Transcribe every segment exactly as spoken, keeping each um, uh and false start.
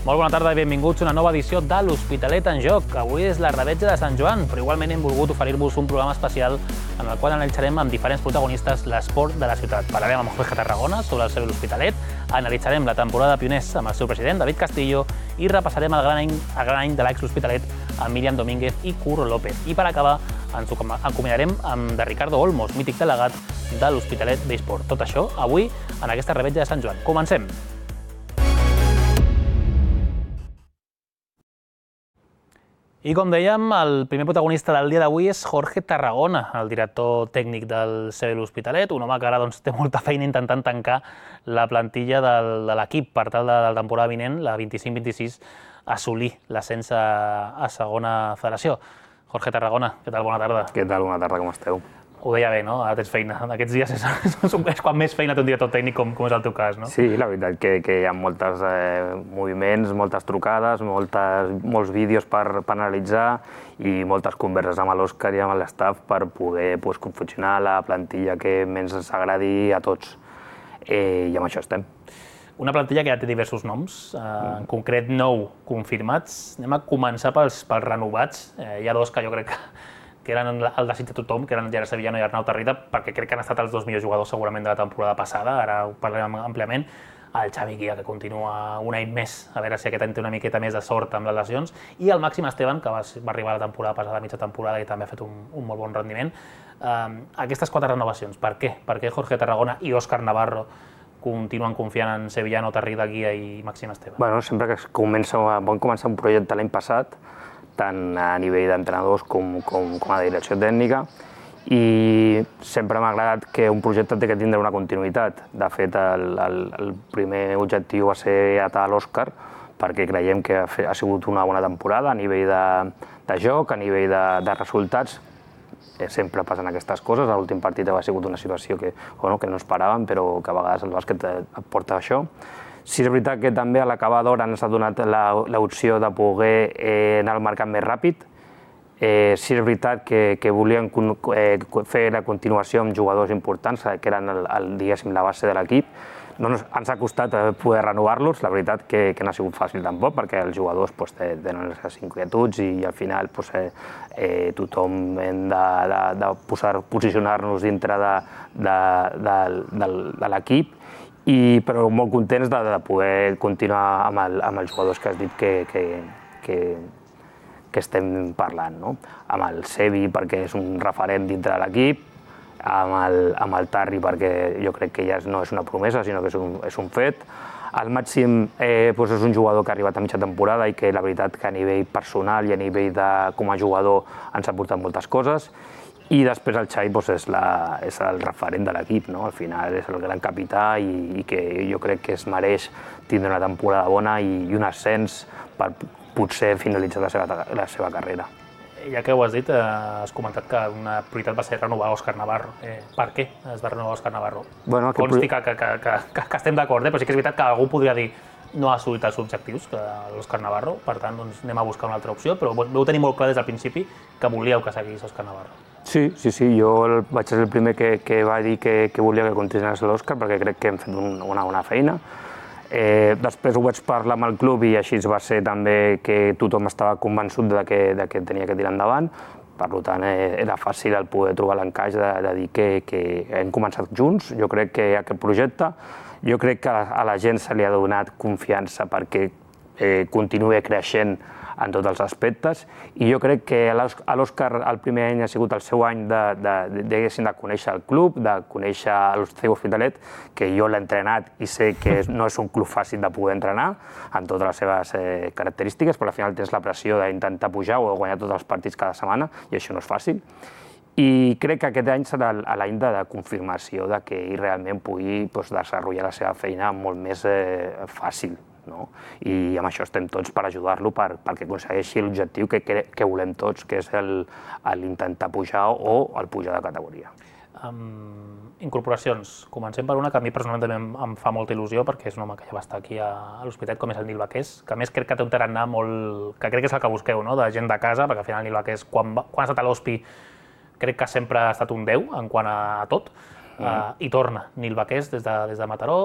Molt bona tarda i benvinguts a una nova edició de l'Hospitalet en Joc. Avui és la revetja de Sant Joan, però igualment hem volgut oferir-vos un programa especial en el qual analitzarem amb diferents protagonistes l'esport de la ciutat. Parlarem amb Jorge Tarragona sobre el seu l'Hospitalet, analitzarem la temporada de pioners amb el seu president, David Castillo, i repassarem el gran any, el gran any de l'ex l'Hospitalet amb Míriam Domínguez i Curro López. I per acabar, ens acomiadarem amb de Ricardo Olmos, mític delegat de l'Hospitalet Besport. Tot això avui en aquesta revetja de Sant Joan. Comencem! I com dèiem, el primer protagonista del dia d'avui és Jorge Tarragona, el director tècnic del C B l'Hospitalet, un home que ara doncs, té molta feina intentant tancar la plantilla del, de l'equip per tal de, de la temporada vinent, la vint-i-cinc vint-i-sis, assolir l'ascens a, a segona federació. Jorge Tarragona, què tal? Bona tarda. Què tal? Bona tarda, com esteu? Ho deia bé, no? Ara tens feina. En aquests dies és, és quan més feina té un director tècnic, com, com és el teu cas, no? Sí, la veritat que, que hi ha molts eh, moviments, moltes trucades, moltes, molts vídeos per, per analitzar i moltes converses amb l'Òscar i amb l'estaf per poder pues, confeccionar la plantilla que més ens agradi a tots. Eh, I amb això estem. Una plantilla que ja té diversos noms, eh, en concret nou confirmats. Anem a començar pels, pels renovats. Eh, hi ha dos que jo crec que que eren el desig de tothom, que eren Gerard Sevillano i Arnau Tarrida, perquè crec que han estat els dos millors jugadors segurament de la temporada passada, ara ho parlarem àmpliament. El Xavi Guia, que continua un any més, a veure si aquest any té una miqueta més de sort amb les lesions, i el Màxim Esteban, que va, va arribar la temporada passada, a mitja temporada, i també ha fet un, un molt bon rendiment. Uh, aquestes quatre renovacions, per què? Per què Jorge Tarragona i Òscar Navarro continuen confiant en Sevillano, Tarrida, Guia i Màxim Esteban? Bueno, sempre que comença, vam començar un projecte l'any passat, tant a nivell d'entrenadors com, com, com a direcció tècnica, i sempre m'ha agradat que un projecte té que tindre una continuïtat. De fet, el, el, el primer objectiu va ser atar l'Òscar, perquè creiem que ha, ha sigut una bona temporada a nivell de, de joc, a nivell de, de resultats. Sempre passen aquestes coses. L'últim partit ha sigut una situació que, bueno, que no esperàvem, però que a vegades el bàsquet et porta això. Sí, és veritat que també a l'acabar d'hora ens ha donat l'opció de poder eh, anar al mercat més ràpid. Eh, sí, és veritat que, que volien eh, fer la continuació amb jugadors importants, que eren el, el, diguéssim, la base de l'equip. No ens, ens ha costat poder renovar-los, la veritat que, que no ha sigut fàcil tampoc, perquè els jugadors pues, tenen les seves inquietuds i, i al final pues, eh, eh, tothom hem de, de, de posar, posicionar-nos dintre de, de, de, de, de l'equip. I, però molt contents de, de poder continuar amb, el, amb els jugadors que has dit que, que, que, que estem parlant, no? Amb el Sevi perquè és un referent dintre de l'equip, amb, el, amb el Tarri perquè jo crec que ja no és una promesa sinó que és un, és un fet. El Màxim eh, doncs és un jugador que ha arribat a mitja temporada i que la veritat que a nivell personal i a nivell de, com a jugador ens ha portat moltes coses. I després el Xavi doncs, és, la, és el referent de l'equip, no? Al final és el gran capità i, i que jo crec que es mereix tindre una temporada bona i, i un ascens per potser finalitzar la seva, la seva carrera. Ja que ho has dit, eh, has comentat que una prioritat va ser renovar Òscar Navarro. Eh, per què es va renovar Òscar Navarro? Bueno, Consti que, que, que, que, que estem d'acord, eh? Però sí que és veritat que algú podria dir no ha assolit els objectius que l'Òscar Navarro, per tant doncs, anem a buscar una altra opció, però vau tenir molt clar des del principi que volíeu que seguís Òscar Navarro. Sí, sí, sí, jo el, vaig ser el primer que, que va dir que, que volia que continués l'Òscar perquè crec que hem fet un, una bona feina. Eh, després ho vaig parlar amb el club i així va ser també que tothom estava convençut de que, de que tenia que tirar endavant. Per tant, eh, era fàcil el poder trobar l'encaix de, de dir que, que hem començat junts. Jo crec que aquest projecte, jo crec que a la gent se li ha donat confiança perquè eh, continuï creixent en tots els aspectes, i jo crec que a l'Òscar el primer any ha sigut el seu any de, de, de, de conèixer el club, de conèixer el seu Hospitalet, que jo l'he entrenat i sé que no és un club fàcil de poder entrenar amb totes les seves eh, característiques, però al final tens la pressió d'intentar pujar o guanyar tots els partits cada setmana, i això no és fàcil. I crec que aquest any serà l'any de, de confirmació de que ell realment pugui pues, desenvolupar la seva feina molt més eh, fàcil. No? I amb això estem tots per ajudar-lo per, perquè aconsegueixi l'objectiu que, que, que volem tots, que és l'intentar pujar o el pujar de categoria. Um, incorporacions. Comencem per una que a mi personalment també em, em fa molta il·lusió perquè és un home que ja va estar aquí a, a l'Hospitalet, com és el Nil Baqués, que a més crec que té un tarannà molt... que crec que és el que busqueu, no? De gent de casa, perquè al final el Nil Baqués, quan, va, quan ha estat a l'Hospi, crec que sempre ha estat un deu en quant a, a tot, mm. uh, i torna Nil Baqués des de, des de Mataró.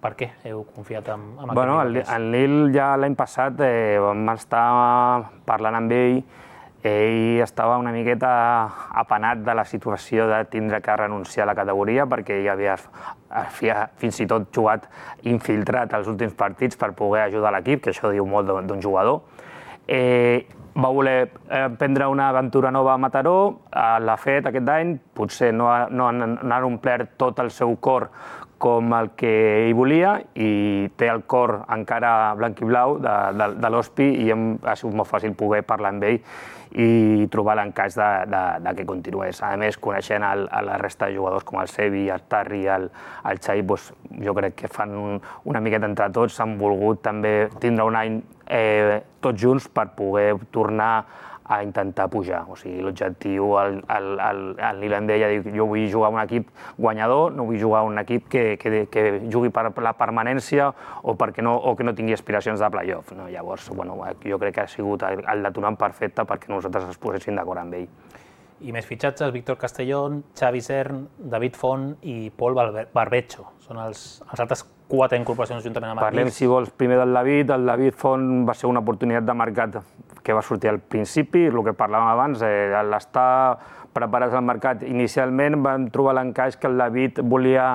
per què heu confiat en, en aquest bueno, Nil? El Nil ja l'any passat eh, vam estar parlant amb ell. Ell estava una miqueta apenat de la situació de tindre que renunciar a la categoria perquè ell havia, havia fins i tot jugat infiltrat els últims partits per poder ajudar l'equip, que això diu molt d'un jugador. Eh, va voler prendre una aventura nova a Mataró, l'ha fet aquest any, potser no ha, no ha omplert tot el seu cor com el que ell volia i té el cor encara blanc i blau de, de, de l'Hospi i hem, ha sigut molt fàcil poder parlar amb ell i trobar l'encaix de, de, de que continués. A més, coneixent el, a la resta de jugadors com el Sevi, el Tarri, el, el Xai, doncs, jo crec que fan un, una miqueta entre tots, han volgut també tindre un any eh, tots junts per poder tornar a intentar pujar. O sigui, l'objectiu, el, el, el, el Nil em deia, jo vull jugar a un equip guanyador, no vull jugar a un equip que, que, que jugui per la permanència o, perquè no, o que no tingui aspiracions de playoff. No? Llavors, bueno, jo crec que ha sigut el, el detonant perfecte perquè nosaltres ens poséssim d'acord amb ell. I més fitxatges, Víctor Castellón, Xavi Cern, David Font i Pol Barbecho. Són els, els altres quatre incorporacions juntament amb el Nil. Parlem, si vols, primer del David. El David Font va ser una oportunitat de mercat que va sortir al principi, el que parlàvem abans, eh, l'estar preparats al mercat. Inicialment vam trobar l'encaix que el David volia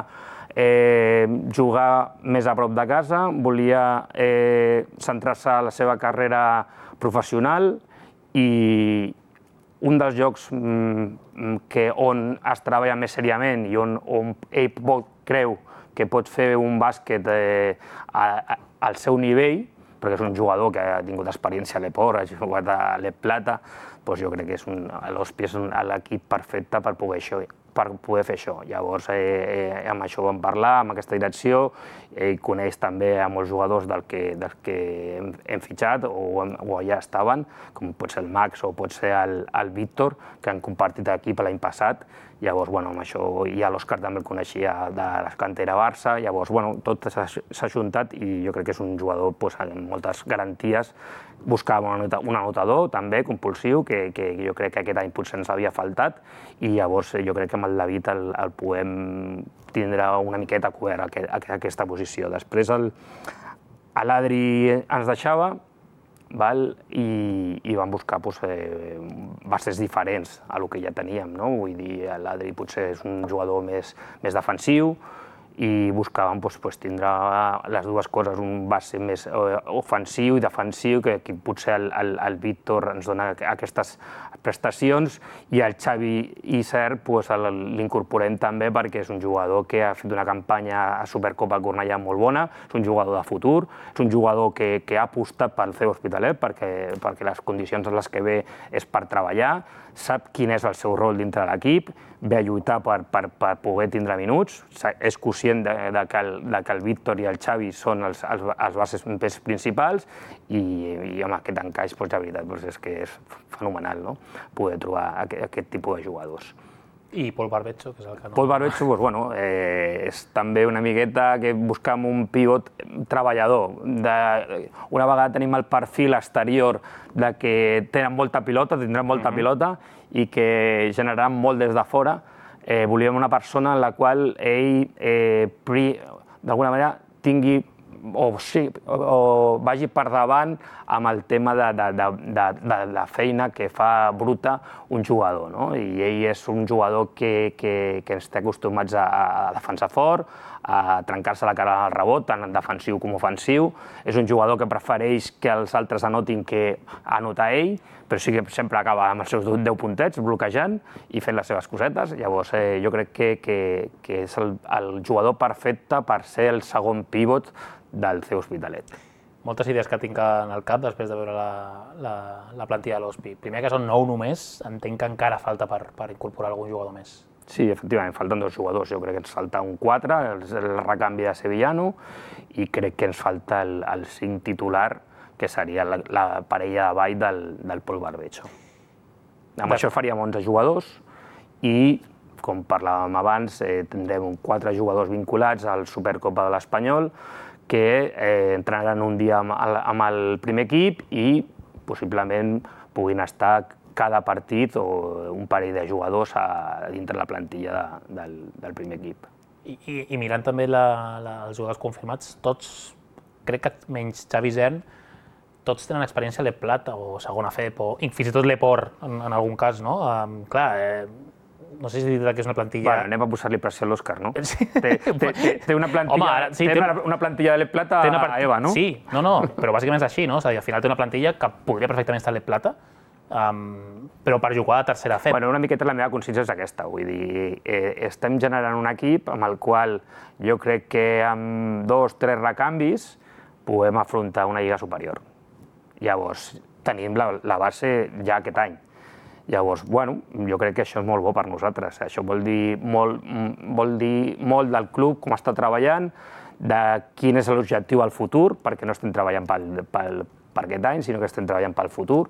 eh, jugar més a prop de casa, volia eh, centrar-se a la seva carrera professional i un dels llocs mm, que on es treballa més seriament i on, on ell pot, creu que pot fer un bàsquet eh, a, a, al seu nivell, perquè és un jugador que ha tingut experiència a l'Eport, ha jugat a l'E Plata, doncs jo crec que l'Hospi és l'equip perfecte per poder, això, per poder fer això. Llavors, eh, eh, amb això vam parlar, amb aquesta direcció, ell coneix també a molts jugadors del que, del que hem, hem fitxat o, o ja estaven, com pot ser el Max o pot ser el, el Víctor, que han compartit equip l'any passat. Llavors, bueno, amb això ja l'Òscar també el coneixia de la cantera Barça, llavors, bueno, tot s'ha ajuntat i jo crec que és un jugador pues, amb moltes garanties. Buscàvem un anotador també compulsiu, que, que jo crec que aquest any potser ens havia faltat, i llavors jo crec que amb el David el, el podem tindre una miqueta cobert a aquesta posició. Després l'Adri ens deixava, val? I, i vam buscar pues, eh, bases diferents a lo que ja teníem, no? Vull dir, l'Adri potser és un jugador més, més defensiu i buscàvem pues, pues, tindre les dues coses, un base més eh, ofensiu i defensiu, que, que potser el, el, el Víctor ens dona aquestes prestacions, i el Xavi i Cert pues, l'incorporem també perquè és un jugador que ha fet una campanya a Supercopa Cornellà molt bona, és un jugador de futur, és un jugador que, que ha apostat pel C E Hospitalet perquè, perquè les condicions en les que ve és per treballar, sap quin és el seu rol dintre de l'equip, ve a lluitar per, per, per poder tindre minuts, és conscient de, de, que el, de que el Víctor i el Xavi són els, els, els bases més principals i, i amb aquest encaix, doncs, la veritat, doncs, és que és fenomenal, no? Poder trobar aquest, aquest tipus de jugadors. I Pol Barbecho, que és el que no... Pol Barbecho, doncs, bueno, eh, és també una miqueta que buscam un pivot treballador. De, una vegada tenim el perfil exterior de que tenen molta pilota, tindran molta uh-huh. pilota i que generaran molt des de fora, eh, volíem una persona en la qual ell eh, d'alguna manera tingui o, sí, o, o vagi per davant amb el tema de, de, de, de, de la feina que fa bruta un jugador, no? I ell és un jugador que, que, que ens té acostumats a, a defensar fort, a trencar-se la cara al rebot, tant defensiu com ofensiu. És un jugador que prefereix que els altres anotin que anotar ell, però sí que sempre acaba amb els seus deu puntets, bloquejant i fent les seves cosetes. Llavors, eh, jo crec que, que, que és el, el jugador perfecte per ser el segon pivot del C E Hospitalet. Moltes idees que tinc en el cap després de veure la, la, la plantilla de l'Hospi. Primer que són nou només, entenc que encara falta per, per incorporar algun jugador més. Sí, efectivament, falten dos jugadors. Jo crec que ens falta un quatre, el, el recanvi de Sevillano, i crec que ens falta el, el cinc titular, que seria la, la parella de ball del, del Pol Barbecho. Amb de... això faríem onze jugadors i, com parlàvem abans, eh, tindrem quatre jugadors vinculats al Supercopa de l'Espanyol que eh, entrenaran un dia amb el, amb el primer equip i possiblement puguin estar cada partit o un parell de jugadors a, dintre la plantilla de, del, del primer equip. I, i, i mirant també la, la, els jugadors confirmats, tots, crec que menys Xavi Zern, tots tenen experiència a l'E Plata o segona F E P, o fins i tot l'Eport, en, en algun cas, no? Um, clar, eh, no sé si dir que és una plantilla... Bueno, anem a posar-li pressió a l'Òscar, no? Sí. Té, té, té una plantilla, Home, ara, sí, té té, una, una plantilla de l'E Plata a part... Eva, no? Sí, no, no, però bàsicament és així, no? És a dir, al final té una plantilla que podria perfectament estar a l'E Plata, um, però per jugar a tercera F E P. Bueno, una miqueta la meva consciència és aquesta, vull dir, eh, estem generant un equip amb el qual jo crec que amb dos, tres recanvis podem afrontar una lliga superior. Llavors, tenim la, la base ja aquest any. Llavors, bueno, jo crec que això és molt bo per nosaltres. Això vol dir molt, vol dir molt del club, com està treballant, de quin és l'objectiu al futur, perquè no estem treballant pel, pel, per aquest any, sinó que estem treballant pel futur.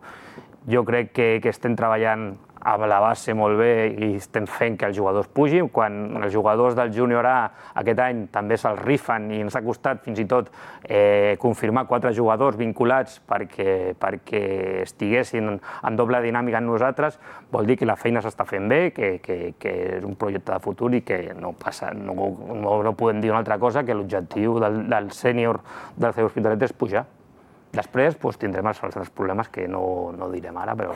Jo crec que, que estem treballant amb la base molt bé i estem fent que els jugadors pugin. Quan els jugadors del júnior A aquest any també se'ls rifen i ens ha costat fins i tot eh, confirmar quatre jugadors vinculats perquè, perquè estiguessin en doble dinàmica amb nosaltres, vol dir que la feina s'està fent bé, que, que, que és un projecte de futur i que no, passa, no, no, no podem dir una altra cosa que l'objectiu del, del sènior del C E Hospitalet és pujar. Després doncs, tindrem els altres problemes que no, no direm ara, però,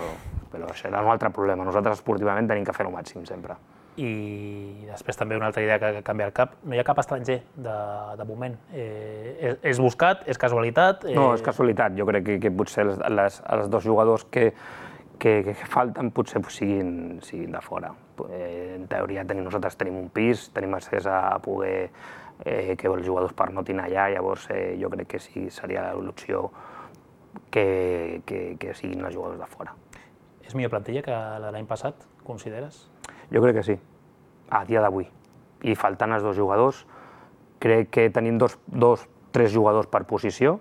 però això era un altre problema. Nosaltres esportivament tenim que fer el màxim sempre. I després també una altra idea que canvia el cap, no hi ha cap estranger de, de moment. Eh, és, és buscat, és casualitat? Eh... No, és casualitat. Jo crec que, que potser les, les, els dos jugadors que, que, que falten potser siguin, siguin de fora. Eh, en teoria tenim, nosaltres tenim un pis, tenim accés a poder eh, que els jugadors pernotin allà, llavors eh, jo crec que sí seria l'opció que, que, que siguin els jugadors de fora. És millor plantilla que la de l'any passat, consideres? Jo crec que sí, a dia d'avui. I faltant els dos jugadors, crec que tenim dos, dos, tres jugadors per posició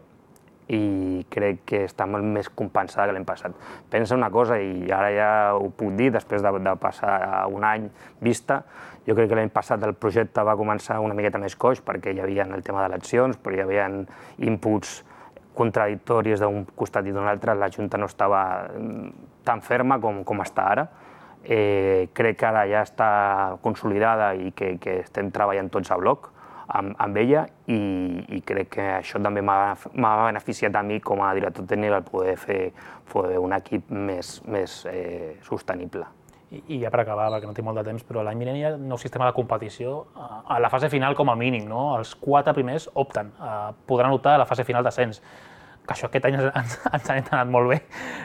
i crec que està molt més compensada que l'any passat. Pensa una cosa, i ara ja ho puc dir, després de, de passar un any vista, jo crec que l'any passat el projecte va començar una miqueta més coix perquè hi havia el tema d'eleccions, però hi havia inputs contradictoris d'un costat i d'un altre, la Junta no estava tan ferma com, com està ara. Eh, crec que ara ja està consolidada i que, que estem treballant tots a bloc amb, amb ella i, i crec que això també m'ha beneficiat a mi com a director tècnic el poder fer, fer un equip més, més eh, sostenible. I, I ja per acabar, perquè no tinc molt de temps, però l'any vinent hi ha un nou sistema de competició a, a la fase final com a mínim, no? Els quatre primers opten, uh, podran optar a la fase final d'ascens. Que això aquest any ens, ens ha anat molt bé.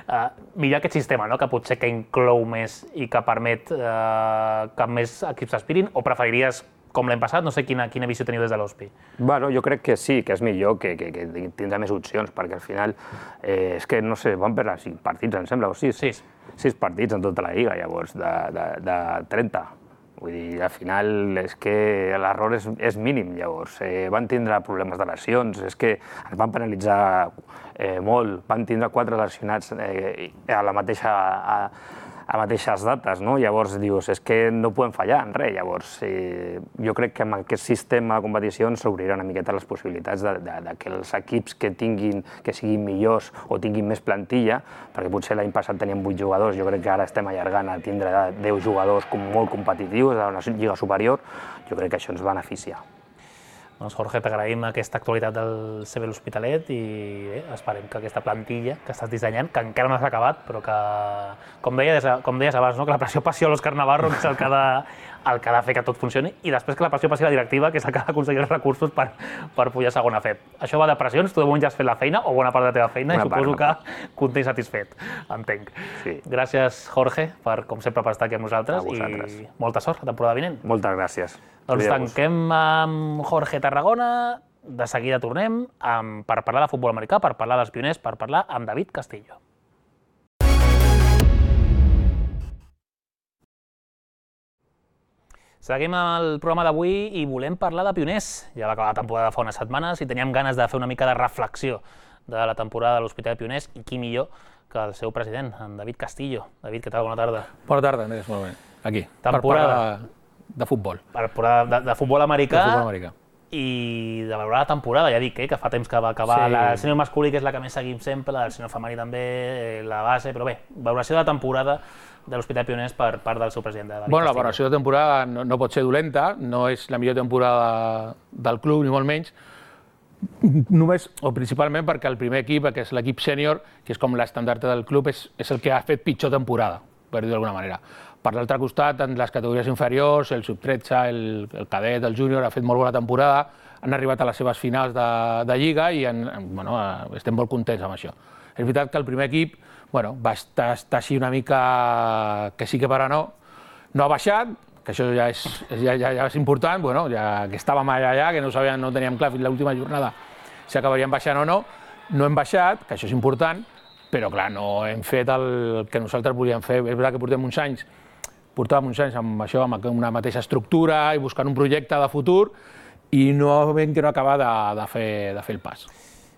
Uh, millor aquest sistema, no? Que potser que inclou més i que permet uh, que més equips aspirin, o preferiries com l'any passat? No sé quina, quina visió teniu des de l'O S P I. Bueno, jo crec que sí, que és millor, que, que, que tindrà més opcions, perquè al final, eh, és que, no sé, van perdre cinc partits, em sembla, o sis? Sis. Sis partits en tota la Lliga, llavors, de, de, de trenta. Vull dir, al final és que l'error és, és mínim, llavors. Eh, van tindre problemes de lesions, és que ens van penalitzar eh, molt, van tindre quatre lesionats eh, a la mateixa... A, a mateixes dates, no? Llavors dius, és que no podem fallar en res, llavors eh, jo crec que amb aquest sistema de competicions s'obrirà una miqueta les possibilitats de, de, de que els equips que tinguin, que siguin millors o tinguin més plantilla, perquè potser l'any passat teníem vuit jugadors, jo crec que ara estem allargant a tindre deu jugadors molt competitius a una lliga superior, jo crec que això ens beneficia. Doncs Jorge, t'agraïm aquesta actualitat del C B l'Hospitalet i bé, esperem que aquesta plantilla que estàs dissenyant, que encara no s'ha acabat, però que, com deies, com deies abans, no? Que la pressió passi a l'Òscar Navarro, que és el que, ha de, el que ha de fer que tot funcioni, i després que la pressió passi a la directiva, que és el que ha d'aconseguir els recursos per, per pujar a segona F E P. Això va de pressions, tu de moment ja has fet la feina, o bona part de la teva feina, una i suposo part, no? Que content i satisfet, entenc. Sí. Gràcies, Jorge, per, com sempre, per estar aquí amb nosaltres, i molta sort la temporada vinent. Moltes gràcies. Doncs tanquem amb Jorge Tarragona, de seguida tornem amb, per parlar de futbol americà, per parlar dels pioners, per parlar amb David Castillo. Seguim amb el programa d'avui i volem parlar de pioners. Ja va acabar la temporada fa unes setmanes i teníem ganes de fer una mica de reflexió de la temporada de l'Hospitalet de Pioners, i qui millor que el seu president, en David Castillo. David, què tal? Bona tarda. Bona tarda, Andrés, molt bé. Aquí, temporada... per parlar de futbol. Per parlar de, de futbol americà. De futbol americà. I de valorar la temporada, ja dic, eh, que fa temps que va acabar sí. La del sènior masculí, que és la que més seguim sempre, la del sènior femení també, la base, però bé, valoració de la temporada de l'Hospitalet Pioners per part del seu president. De bueno, la valoració de temporada no, no pot ser dolenta, no és la millor temporada del club, ni molt menys, només o principalment perquè el primer equip, que és l'equip sènior, que és com l'estandard del club, és, és el que ha fet pitjor temporada, per dir-ho d'alguna manera. Per l'altre costat, en les categories inferiors, el sub tretze, el, el cadet, el júnior, ha fet molt bona temporada, han arribat a les seves finals de, de Lliga i en, bueno, estem molt contents amb això. És veritat que el primer equip bueno, va estar, estar així una mica que sí que per a no, no ha baixat, que això ja és, ja, ja, ja és important, bueno, ja que estàvem allà, allà que no, sabíem, no teníem clar fins l'última jornada si acabaríem baixant o no, no hem baixat, que això és important, però clar, no hem fet el que nosaltres volíem fer. És veritat que portem uns anys, portàvem uns anys amb això, amb una mateixa estructura i buscant un projecte de futur i no ben que no acaba de, de, fer, de fer el pas.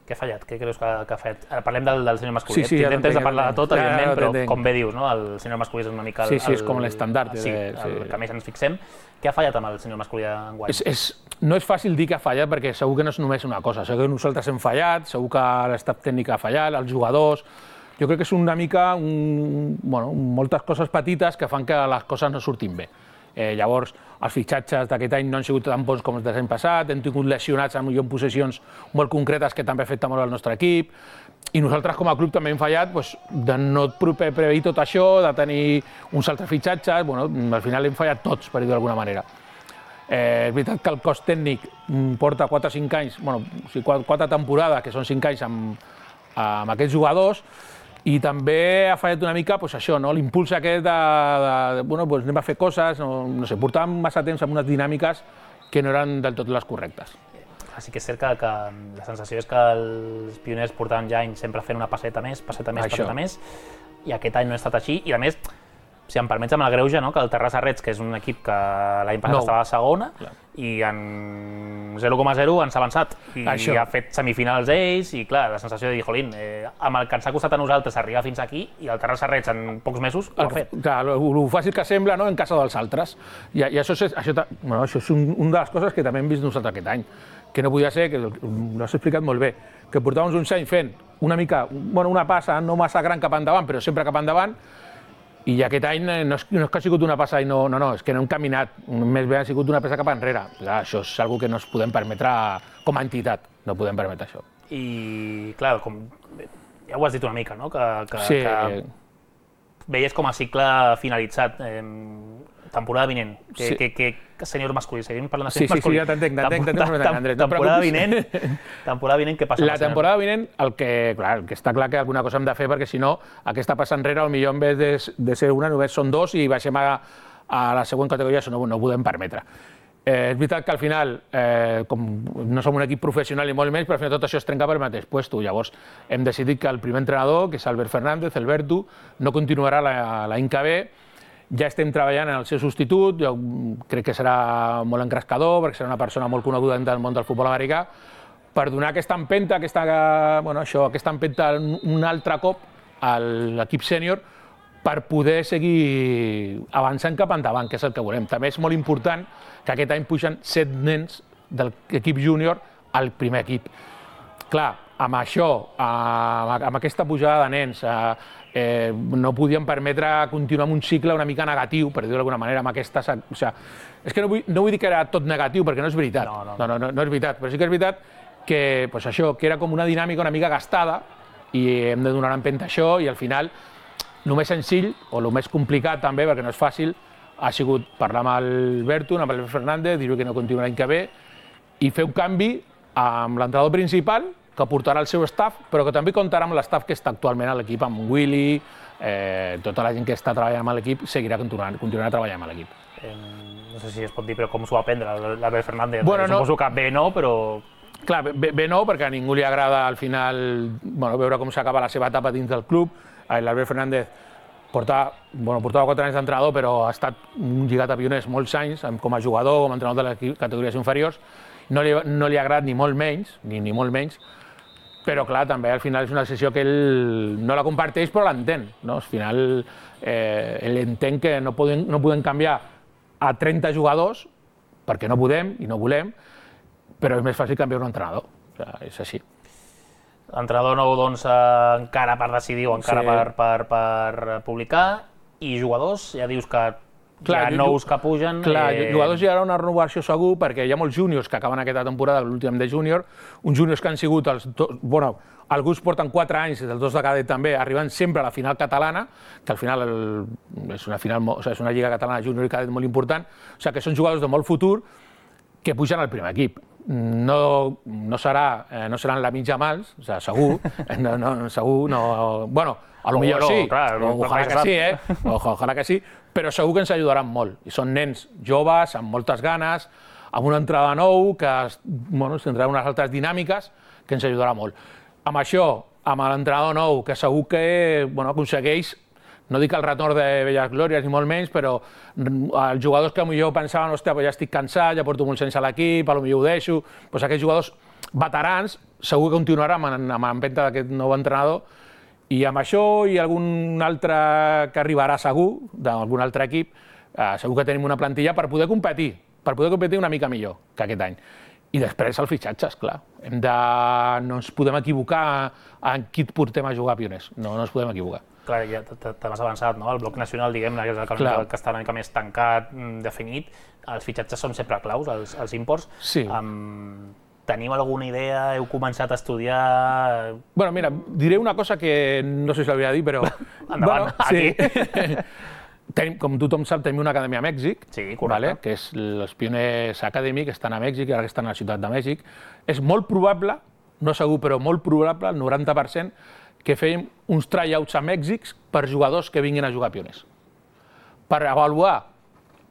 Què ha fallat? Què creus que, que ha fet? Parlem del, del sènior masculí. Sí, sí, Tindrem temps de parlar de tot, ja, evidentment, ja, però entenc. com bé dius, no? El sènior masculí és una mica... El, sí, sí, és com l'estandard. Sí, de, sí. el que més ens fixem. Què ha fallat amb el sènior masculí d'enguany? És, és, no és fàcil dir que ha fallat perquè segur que no és només una cosa. Segur que nosaltres hem fallat, segur que l'estat tècnic ha fallat, els jugadors... Jo crec que és una mica, un, bueno, moltes coses petites que fan que les coses no surtin bé. Eh, llavors, els fitxatges d'aquest any no han sigut tan bons com els de l'any passat, hem tingut lesionats en posicions molt concretes que també afecten molt al nostre equip, i nosaltres com a club també hem fallat doncs, de no preveure tot això, de tenir uns altres fitxatges, bueno, al final hem fallat tots, per dir-ho d'alguna manera. Eh, és veritat que el cos tècnic porta quatre o cinc anys, bueno, o sigui, quatre temporades, que són cinc anys amb, amb aquests jugadors, i també ha fallat una mica pues, això, no? L'impuls aquest de, de, de bueno, pues anem a fer coses, no, no sé, portàvem massa temps amb unes dinàmiques que no eren del tot les correctes. Sí que és cert que, que la sensació és que els pioners portaven ja anys sempre fent una passeta més, passeta més, això. passeta més, i aquest any no ha estat així, i a més, si em permets amb el greuge, no? Que el Terrassa Reds, que és un equip que l'any passat no. estava a segona, clar. I en zero coma zero ens ha avançat, i això. Ha fet semifinals ells, i clar, la sensació de dir, jolín, eh, amb el que ens ha costat a nosaltres arribar fins aquí, i el Terrassa Reds en pocs mesos ho ha fet. Clar, el fàcil que sembla, no?, en casa dels altres. I, i això és, això, bueno, això és un, una de les coses que també hem vist nosaltres aquest any, que no podia ser, que l'has explicat molt bé, que portàvem uns anys fent una mica, bueno, una passa no massa gran cap endavant, però sempre cap endavant, i aquest any no és, no és que ha sigut una passa i no, no, no, és que no hem caminat, més bé ha sigut una passa cap enrere. Clar, això és una que no es podem permetre com a entitat, no podem permetre això. I clar, com, ja ho has dit una mica, no? Que, que, sí. que veies com a cicle finalitzat, eh, temporada vinent, que, sí. que, que, que sènior masculí, seguim parlant de sènior masculí. Sí, sí, ja t'entenc, t'entenc, t'entenc, Andrés, no temporada vinent, temporada vinent, què passa? La temporada vinent, el que, clar, el que està clar que alguna cosa hem de fer, perquè si no, aquesta passa enrere, potser en vez de, de ser una, només són dos i baixem a, a la següent categoria, això no, no ho podem permetre. Eh, és veritat que al final, eh, com no som un equip professional i molt menys, però al final tot això es trenca per el mateix puesto. Llavors, hem decidit que el primer entrenador, que és Albert Fernández, el Bertu, no continuarà l'any que ve. Ja estem treballant en el seu substitut, jo crec que serà molt encrescador, perquè serà una persona molt coneguda del món del futbol americà, per donar aquesta empenta, aquesta, bueno, això, aquesta empenta un altre cop a l'equip sènior per poder seguir avançant cap endavant, que és el que volem. També és molt important que aquest any pugen set nens de l'equip júnior al primer equip. Clar, amb això, amb aquesta pujada de nens, eh, no podíem permetre continuar amb un cicle una mica negatiu, per dir-ho d'alguna manera, amb aquesta... O sigui, és que no vull, no vull dir que era tot negatiu, perquè no és veritat. No, no, no, no, no, no és veritat, però sí que és veritat que, pues això, que era com una dinàmica una mica gastada i hem de donar empenta a això i al final el més senzill, o el més complicat també, perquè no és fàcil, ha sigut parlar amb el Bertu, amb el Fernández, dir-li que no continua l'any que ve i fer un canvi amb l'entrenador principal, que portarà el seu staff, però que també comptarà amb l'staff que està actualment a l'equip, amb Willy, eh, tota la gent que està treballant amb l'equip seguirà continuant, continuarà treballant amb l'equip. Eh, no sé si es pot dir, però com s'ho va prendre l'Albert Fernández? Bueno, eh, suposo no, que bé no, però... Clar, bé, bé no, perquè a ningú li agrada al final bueno, veure com s'acaba la seva etapa dins del club. L'Albert Fernández porta, bueno, portava quatre anys d'entrenador, però ha estat un lligat a pioners molts anys, com a jugador, com a entrenador de les categories inferiors. No li, no li ha agradat ni molt menys, ni, ni molt menys, però clar, també al final és una decisió que ell no la comparteix però l'entén. No? Al final eh, ell entén que no podem, no podem canviar a trenta jugadors, perquè no podem i no volem, però és més fàcil canviar un entrenador. O sigui, és així. L'entrenador nou, doncs, eh, encara per decidir o encara sí. per, per, per publicar. I jugadors, ja dius que Clar, hi ha nous que pugen... Clar, eh... jugadors hi haurà una renovació segur, perquè hi ha molts júniors que acaben aquesta temporada, l'últim de júnior, uns júniors que han sigut els dos... Bueno, alguns porten quatre anys, els dos de cadet també, arribant sempre a la final catalana, que al final el, és, una final, o sigui, és una lliga catalana júnior i cadet molt important, o sigui, que són jugadors de molt futur que pugen al primer equip. No, no, serà, eh, no seran la mitja mals, o sigui, segur, no, no, segur, no... Bueno, a lo millor sí, clar, o, ojalà que sí, eh? O, ojalà que sí, però segur que ens ajudaran molt. I són nens joves, amb moltes ganes, amb una entrada nou, que bueno, tindrà unes altres dinàmiques, que ens ajudarà molt. Amb això, amb l'entrenador nou, que segur que bueno, aconsegueix, no dic el retorn de velles glòries ni molt menys, però els jugadors que potser pensaven, hòstia, ja estic cansat, ja porto molt sense l'equip, potser ho deixo, doncs aquests jugadors veterans segur que continuaran amb l'empenta d'aquest nou entrenador. I amb això i algun altre que arribarà segur, d'algun altre equip, eh, segur que tenim una plantilla per poder competir, per poder competir una mica millor que aquest any. I després els fitxatges, clar. Hem de... No ens podem equivocar en qui et portem a jugar a Pioners. No, no ens podem equivocar. Clar, ja t'has avançat, no? El bloc nacional, diguem-ne, que és el que, que està una mica més tancat, definit. Els fitxatges són sempre claus, els, els imports. Sí. Um, Teniu alguna idea? Heu començat a estudiar? Bueno, mira, diré una cosa que no sé si l'havia de dir, però... Endavant, bueno, sí. Tenim, com tothom sap, tenim una acadèmia a Mèxic, sí, correcte. Vale? Que és els Pioners Academy, que estan a Mèxic, ara que estan a la ciutat de Mèxic. És molt probable, no segur, però molt probable, el noranta per cent, que fem uns tryouts a Mèxic per jugadors que vinguin a jugar a Pioners. Per avaluar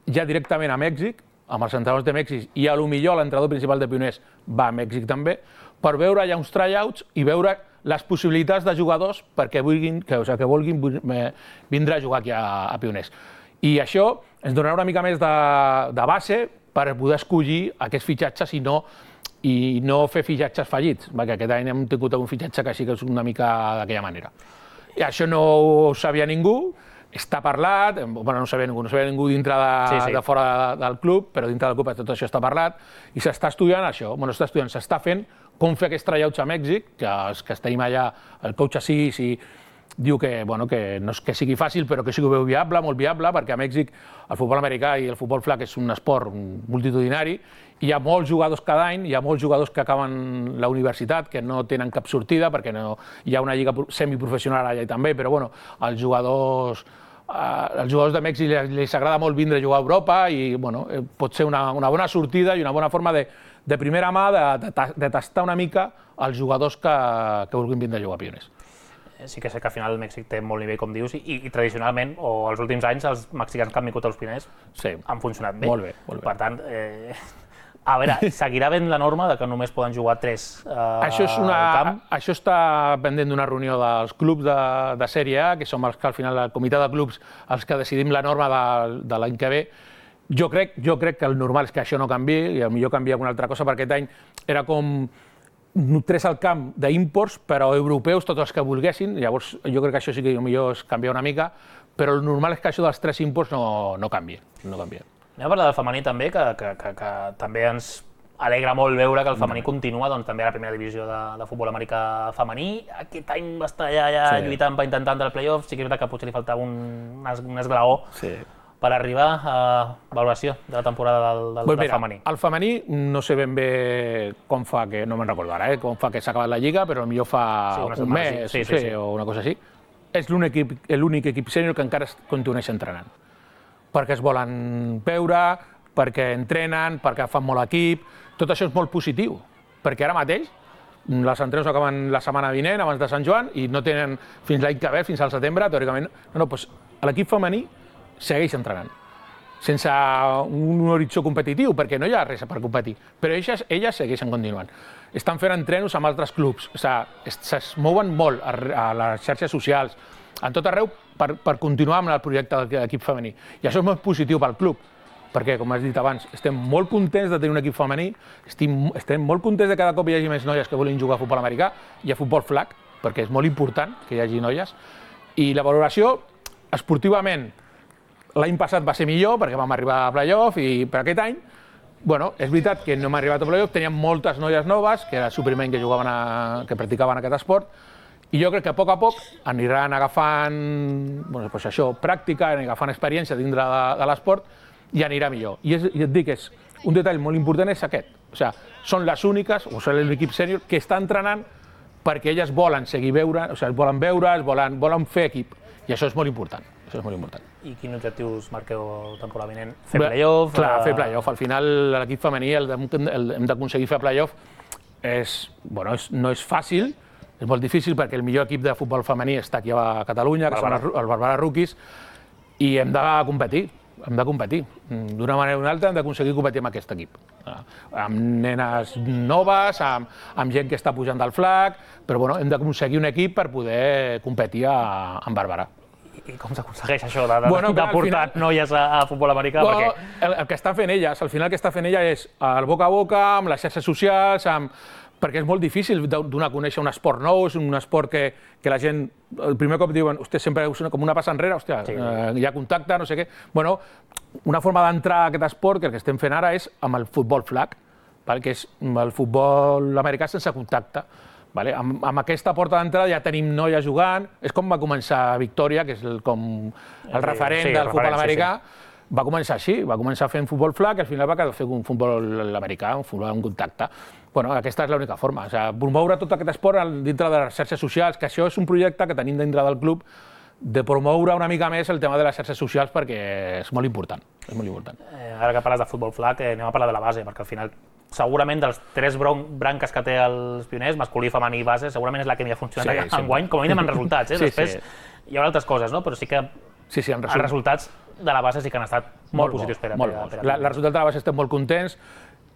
ja directament a Mèxic, amb els entrenadors de Mèxic, i a lo millor l'entrenador principal de Pioners va a Mèxic també, per veure ja uns tryouts i veure les possibilitats de jugadors perquè vulguin, que, o sigui, que vulguin vindre a jugar aquí a, a Pioners. I això ens donarà una mica més de, de base per poder escollir aquests fitxatges i no, i no fer fitxatges fallits, perquè aquest any hem tingut un fitxatge que sí que és una mica d'aquella manera. I això no ho sabia ningú, està parlat, bueno, no ho sabia ningú, no sabia ningú dintre de, sí, sí. de fora de, del club, però dintre del club tot això està parlat, i s'està estudiant això, bueno, s'està estudiant, s'està fent com fer aquests tryouts a Mèxic, que els que tenim allà, el coach Asís, i diu que, bueno, que no és que sigui fàcil, però que sigui veu viable, molt viable, perquè a Mèxic el futbol americà i el futbol flag és un esport multitudinari, i hi ha molts jugadors cada any, hi ha molts jugadors que acaben la universitat, que no tenen cap sortida, perquè no, hi ha una lliga semiprofessional allà també, però bueno, els jugadors, eh, els jugadors de Mèxic els, els agrada molt vindre a jugar a Europa i bueno, pot ser una, una bona sortida i una bona forma de, de primera mà de, de, de tastar una mica els jugadors que, que vulguin vindre a jugar a Pioners. Sí que sé que al final el Mèxic té molt nivell, com dius, i, i tradicionalment, o els últims anys, els mexicans que han vingut als Pioners sí. han funcionat bé. Molt bé, molt bé. Per tant, eh, a veure, seguirà ben la norma de que només poden jugar tres eh, això és una, al camp? Això està pendent d'una reunió dels clubs de, de Sèrie A, que som els que al final, el comitè de clubs, els que decidim la norma de, de l'any que ve. Jo crec, jo crec que el normal és que això no canviï, i potser canvia alguna altra cosa, perquè aquest any era com tres al camp d'imports, però europeus, tots els que volguessin, llavors jo crec que això sí que potser es canvia una mica, però el normal és que això dels tres imports no, no canvia. No canvia. Anem a parlar del femení també, que, que, que, que també ens alegra molt veure que el femení continua, doncs també a la primera divisió de, de futbol americà femení. Aquest any va estar allà, allà sí. lluitant per intentar entrar al playoff, sí que és veritat que potser li faltava un, un esglaó sí. per arribar a valoració de la temporada del, del, pues del mira, femení. El femení no sé ben bé com fa, que no me'n recordo ara, eh, com fa que s'ha acabat la lliga, però potser fa sí, un mes sí, sí, sí, sí. o una cosa així. És l'únic equip sènior que encara continueix entrenant. Perquè es volen veure, perquè entrenen, perquè fan molt equip, tot això és molt positiu, perquè ara mateix les entrenos acaben la setmana vinent, abans de Sant Joan, i no tenen fins l'any que ve, fins al setembre, teòricament, no, no, doncs l'equip femení segueix entrenant, sense un horitzó competitiu, perquè no hi ha res per competir, però elles, elles segueixen continuant. Estan fent entrenos amb altres clubs, o sigui, es mouen molt a, a les xarxes socials, en tot arreu, per, per continuar amb el projecte de l'equip femení. I això és molt positiu pel club, perquè, com has dit abans, estem molt contents de tenir un equip femení, estem, estem molt contents de que cada cop hi hagi més noies que volen jugar a futbol americà i a futbol flag, perquè és molt important que hi hagi noies. I la valoració, esportivament, l'any passat va ser millor, perquè vam arribar a playoff, i per aquest any, bueno, és veritat que no hem arribat a playoff, teníem moltes noies noves, que era el suplement que jugaven a, que practicaven aquest esport, I jo crec que a poc a poc aniran agafant bueno, pues això, pràctica, aniran agafant experiència dintre de, de l'esport i anirà millor. I, és, I et dic, és, un detall molt important és aquest. O sigui, són les úniques, o sigui, l'equip sènior, que està entrenant perquè elles volen seguir veure, o sigui, volen veure, volen, volen fer equip. I això és molt important. Això és molt important. I quins objectius marqueu temporada vinent? Fer play-off? Clar, fer play-off. Al final, l'equip femení el, el, hem d'aconseguir fer play-off. És, bueno, és, no és fàcil, és molt difícil perquè el millor equip de futbol femení està aquí a Catalunya, que Barbara. són els Barbara Rookies, i hem de competir. Hem de competir. D'una manera o d'una altra hem d'aconseguir competir amb aquest equip. Amb nenes noves, amb, amb gent que està pujant del flag, però bueno, hem d'aconseguir un equip per poder competir a, amb Bàrbara. I com s'aconsegueix això de, de, bueno, de portar final... noies a, a futbol americà? No, perquè... el, el que està fent elles, al final el que està fent ella és el boca a boca, amb les xarxes socials, amb... perquè és molt difícil donar a conèixer un esport nou, és un esport que, que la gent, el primer cop diuen, hòstia, sempre és com una passa enrere, hòstia, sí. eh, hi ha contacte, no sé què. Bueno, una forma d'entrar a aquest esport, que el que estem fent ara és amb el futbol flag, vale? Que és el futbol americà sense contacte. Vale? Amb, amb aquesta porta d'entrada ja tenim noies jugant, és com va començar Victòria, que és el, com el referent sí, del futbol americà, sí, sí. Va començar així, va començar fent futbol flag i al final va quedar fer un futbol americà, un futbol en contacte. Bueno, aquesta és l'única forma, o sigui, promoure tot aquest esport dintre de les xarxes socials, que això és un projecte que tenim dintre del club, de promoure una mica més el tema de les xarxes socials perquè és molt important. És molt important. Eh, ara que parles de futbol flag, eh, anem a parlar de la base, perquè al final segurament dels tres branques que té els pioners, masculí, femení i base, segurament és la que millor ha funcionat sí, sí. enguany, com a mínim en resultats. Eh? Sí, Després sí. hi haurà altres coses, no? Però sí que sí, sí, els resultats de la base sí que han estat molt, molt positius per a, molt per a, per a la, la resultat de la base estem molt contents.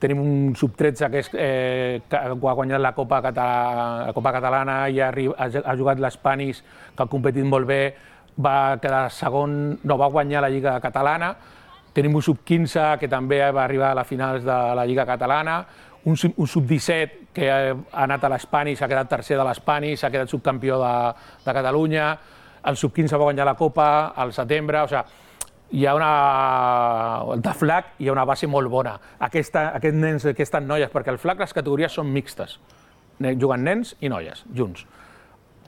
Tenim un sub tretze que, és, eh, que ha guanyat la Copa, Català, la Copa Catalana i ha, ha jugat l'Spanis, que ha competit molt bé, va quedar segon, no, va guanyar la Lliga Catalana. Tenim un sub quinze que també va arribar a les finals de la Lliga Catalana, un, un sub disset que ha anat a l'Spanis, ha quedat tercer de l'Spanis, ha quedat subcampió de, de Catalunya, el sub quinze va guanyar la Copa al setembre, o sigui, hi ha una... de flag hi ha una base molt bona. Aquesta, aquests nens, aquestes noies, perquè al flag les categories són mixtes, juguen nens i noies, junts.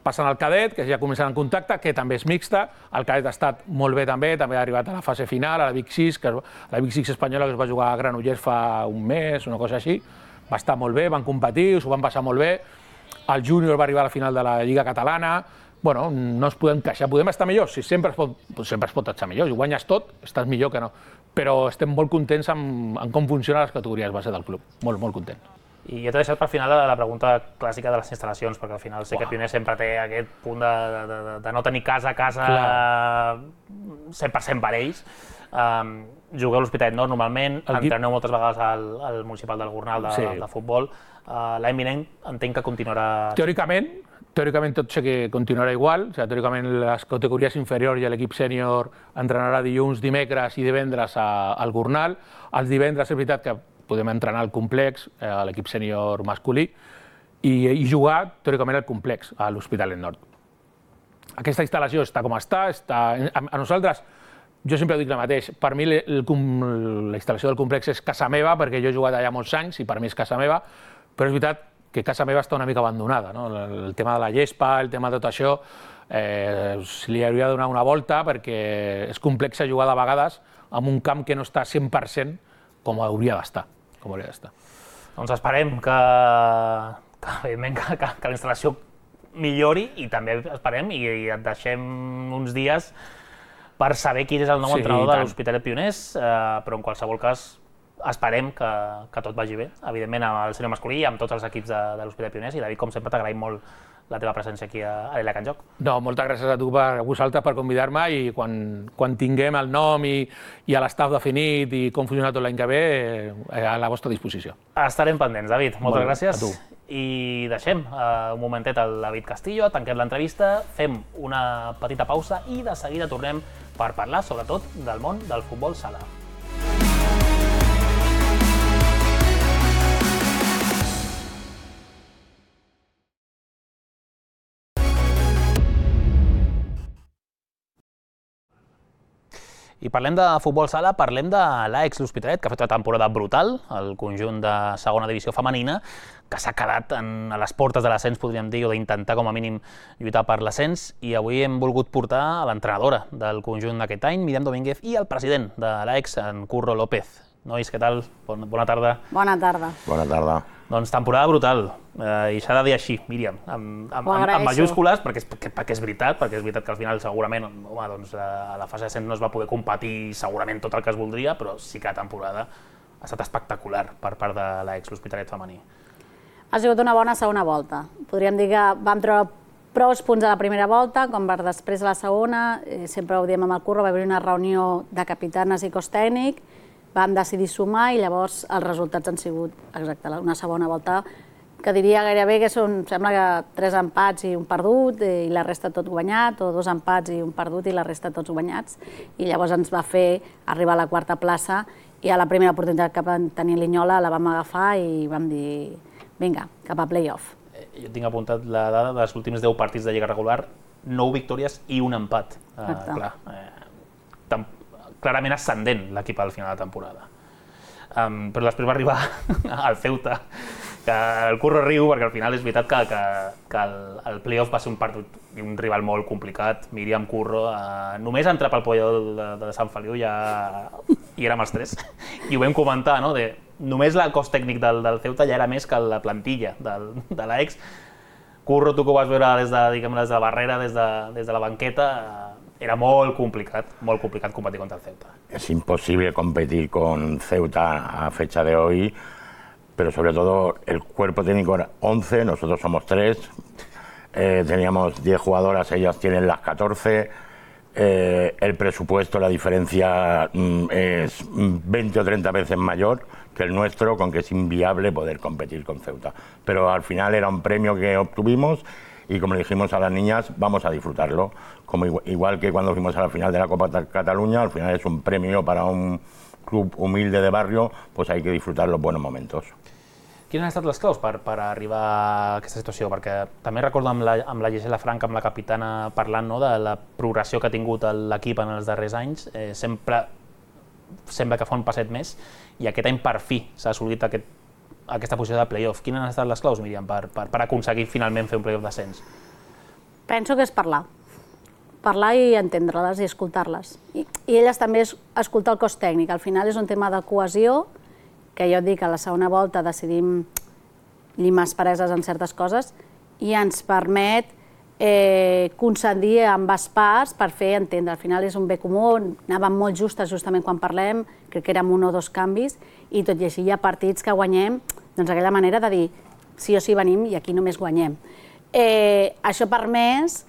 Passen al cadet, que ja comencen en contacte, que també és mixta. El cadet ha estat molt bé també, també ha arribat a la fase final, a la Big Six, que la Big Six espanyola que es va jugar a Granollers fa un mes, una cosa així. Va estar molt bé, van competir, s'ho van passar molt bé. El júnior va arribar a la final de la Lliga Catalana. Bueno, no ens podem queixar, podem estar millor, si sempre es pot, sempre es pot estar millor, si guanyes tot, estàs millor que no. Però estem molt contents amb, amb com funcionen les categories base del club, molt, molt contents. I jo t'he deixat per final la pregunta clàssica de les instal·lacions, perquè al final sé que Pioner sempre té aquest punt de, de, de, de no tenir casa a casa Clar. cent per cent per ells. Um, jugueu a l'Hospitalet Nord normalment, entreneu moltes vegades al, al municipal del Gornal de, sí. de, de futbol. Uh, L'any vinent entenc que continuarà... Teòricament, teòricament tot sé que continuarà igual, o sigui, teòricament les categories inferiors i l'equip sènior entrenarà dilluns, dimecres i divendres a, al Gornal. Els divendres és veritat que podem entrenar al complex, eh, a l'equip sènior masculí, i, i jugar teòricament al complex, a l'Hospitalet Nord. Aquesta instal·lació està com està, està a, a nosaltres, jo sempre dic el mateix, per mi el, el, la instal·lació del complex és casa meva, perquè jo he jugat allà molts anys i per mi és casa meva, però és veritat que casa meva està una mica abandonada, no? El, el tema de la gespa, el tema de tot això, eh, se li hauria de donar una volta perquè és complex jugar de vegades amb un camp que no està cent per cent com hauria d'estar. Com hauria d'estar. Doncs esperem que, que, que, que, que la instal·lació millori i també esperem i, i et deixem uns dies per saber qui és el nou sí, entrenador de l'Hospitalet Pioners, eh, però en qualsevol cas esperem que, que tot vagi bé, evidentment amb el sènior masculí i amb tots els equips de, de l'Hospitalet Pioners. I David, com sempre, t'agraïm molt la teva presència aquí a l'Ela Can Joc. No, moltes gràcies a tu per a vosaltres per convidar-me i quan, quan tinguem el nom i, i l'estaf definit i com funciona tot l'any que ve, eh, a la vostra disposició. Estarem pendents, David. Moltes molt gràcies. A tu. I deixem uh, un momentet al David Castillo, tanquem l'entrevista, fem una petita pausa i de seguida tornem per parlar, sobretot, del món del futbol sala. I parlem de futbol sala, parlem de l'A E X L'Hospitalet, que ha fet una temporada brutal, el conjunt de segona divisió femenina, que s'ha quedat en, a les portes de l'ascens, podríem dir, o d'intentar com a mínim lluitar per l'ascens, i avui hem volgut portar a l'entrenadora del conjunt d'aquest any, Míriam Domínguez, i el president de l'A E X, en Curro López. Nois, què tal? Bona, bona tarda. Bona tarda. Bona tarda. Doncs temporada brutal, eh, i s'ha de dir així, Míriam, amb, amb, amb, amb majúscules, perquè és, perquè, perquè és veritat, perquè és veritat que al final segurament home, doncs, a la fase ascens no es va poder competir segurament tot el que es voldria, però sí que la temporada ha estat espectacular per part de l'A E X L'Hospitalet femení. Ha sigut una bona segona volta. Podríem dir que vam treure prou punts a la primera volta, com per després a la segona, eh, sempre ho diem amb el Curro, va haver una reunió de capitanes i cos tècnic, vam decidir sumar i llavors els resultats han sigut exacte, una segona volta que diria gairebé que són, sembla que tres empats i un perdut i la resta tot guanyat, o dos empats i un perdut i la resta tots guanyats. I llavors ens va fer arribar a la quarta plaça i a la primera oportunitat que vam tenir Linyola la vam agafar i vam dir vinga, cap a play-off. Jo tinc apuntat la dada dels últims deu partits de Lliga regular, nou victòries i un empat. Exacte. Uh, clar, eh, clarament ascendent l'equip al final de la temporada. Um, però després va arribar al Ceuta, que el Curro riu perquè al final és veritat que, que, que el, el play-off va ser un partit i un rival molt complicat. Míriam, Curro, uh, només entrar pel pollador de, de Sant Feliu ja hi érem els tres. I ho vam comentar, no? De, només el cos tècnic del, del Ceuta ja era més que la plantilla del, de l'A E X. Curro, tu que ho vas veure des de, diguem, des de la barrera, des de, des de la banqueta, uh, era molt complicat, molt complicat competir contra el Ceuta. Es imposible competir con Ceuta a fecha de hoy, pero sobre todo el cuerpo técnico era once, nosotros somos tres, eh, teníamos diez jugadoras, ellas tienen las catorce, eh, el presupuesto, la diferencia mm, es veinte o treinta veces mayor que el nuestro, con que es inviable poder competir con Ceuta. Pero al final era un premio que obtuvimos y como le dijimos a las niñas, vamos a disfrutarlo. Como igual, igual que cuando fuimos a la final de la Copa de Cataluña, al final es un premio para un club humilde de barrio, pues hay que disfrutar los buenos momentos. Quines han estat les claus per, per arribar a aquesta situació? Perquè també recordo amb la, amb la Gisela Franca, amb la capitana, parlant no, de la progressió que ha tingut l'equip en els darrers anys. Eh, sempre sembla que fa un passet més i aquest any per fi s'ha assolit aquest, aquesta posició de play-off. Quines han estat les claus, Míriam, per, per, per aconseguir finalment fer un play-off d'ascens? Penso que és parlar. Parlar i entendre-les i escoltar-les. I, I elles també és escoltar el cos tècnic. Al final és un tema de cohesió, que jo et dic, a la segona volta decidim llimar aspereses en certes coses i ens permet eh, concedir amb parts per fer entendre. Al final és un bé comú, anàvem molt justes justament quan parlem, crec que érem un o dos canvis, i tot i així hi ha partits que guanyem, doncs aquella manera de dir sí o sí venim i aquí només guanyem. Eh, això ha permès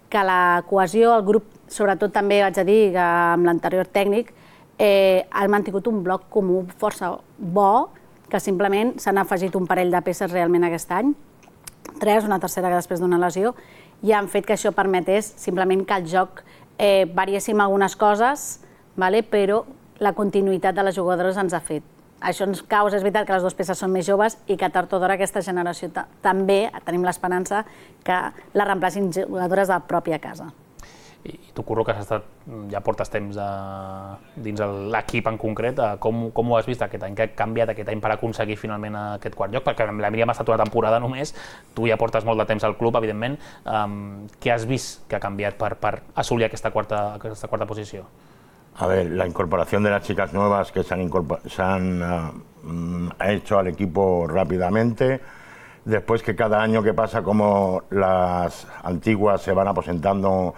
que la cohesió, el grup, sobretot també vaig a dir que amb l'anterior tècnic, eh, han mantingut un bloc comú força bo, que simplement s'han afegit un parell de peces realment aquest any, tres, una tercera que després d'una lesió, i han fet que això permetés simplement que el joc eh, variéssim algunes coses, vale? Però la continuïtat de les jugadores ens ha fet. Això ens causa, és veritat que les dues peces són més joves i que tard o d'hora aquesta generació també tenim l'esperança que la reemplacin jugadores de la pròpia casa. I tu, Curro, que has estat, ja portes temps a, dins l'equip en concret, com, com ho has vist aquest any? Què ha canviat aquest any per aconseguir finalment aquest quart lloc? Perquè la Míriam ha estat una temporada només, tu ja portes molt de temps al club, evidentment. Um, què has vist que ha canviat per, per assolir aquesta quarta, aquesta quarta posició? A ver, la incorporación de las chicas nuevas que se han, se han uh, hecho al equipo rápidamente, después que cada año que pasa como las antiguas se van aposentando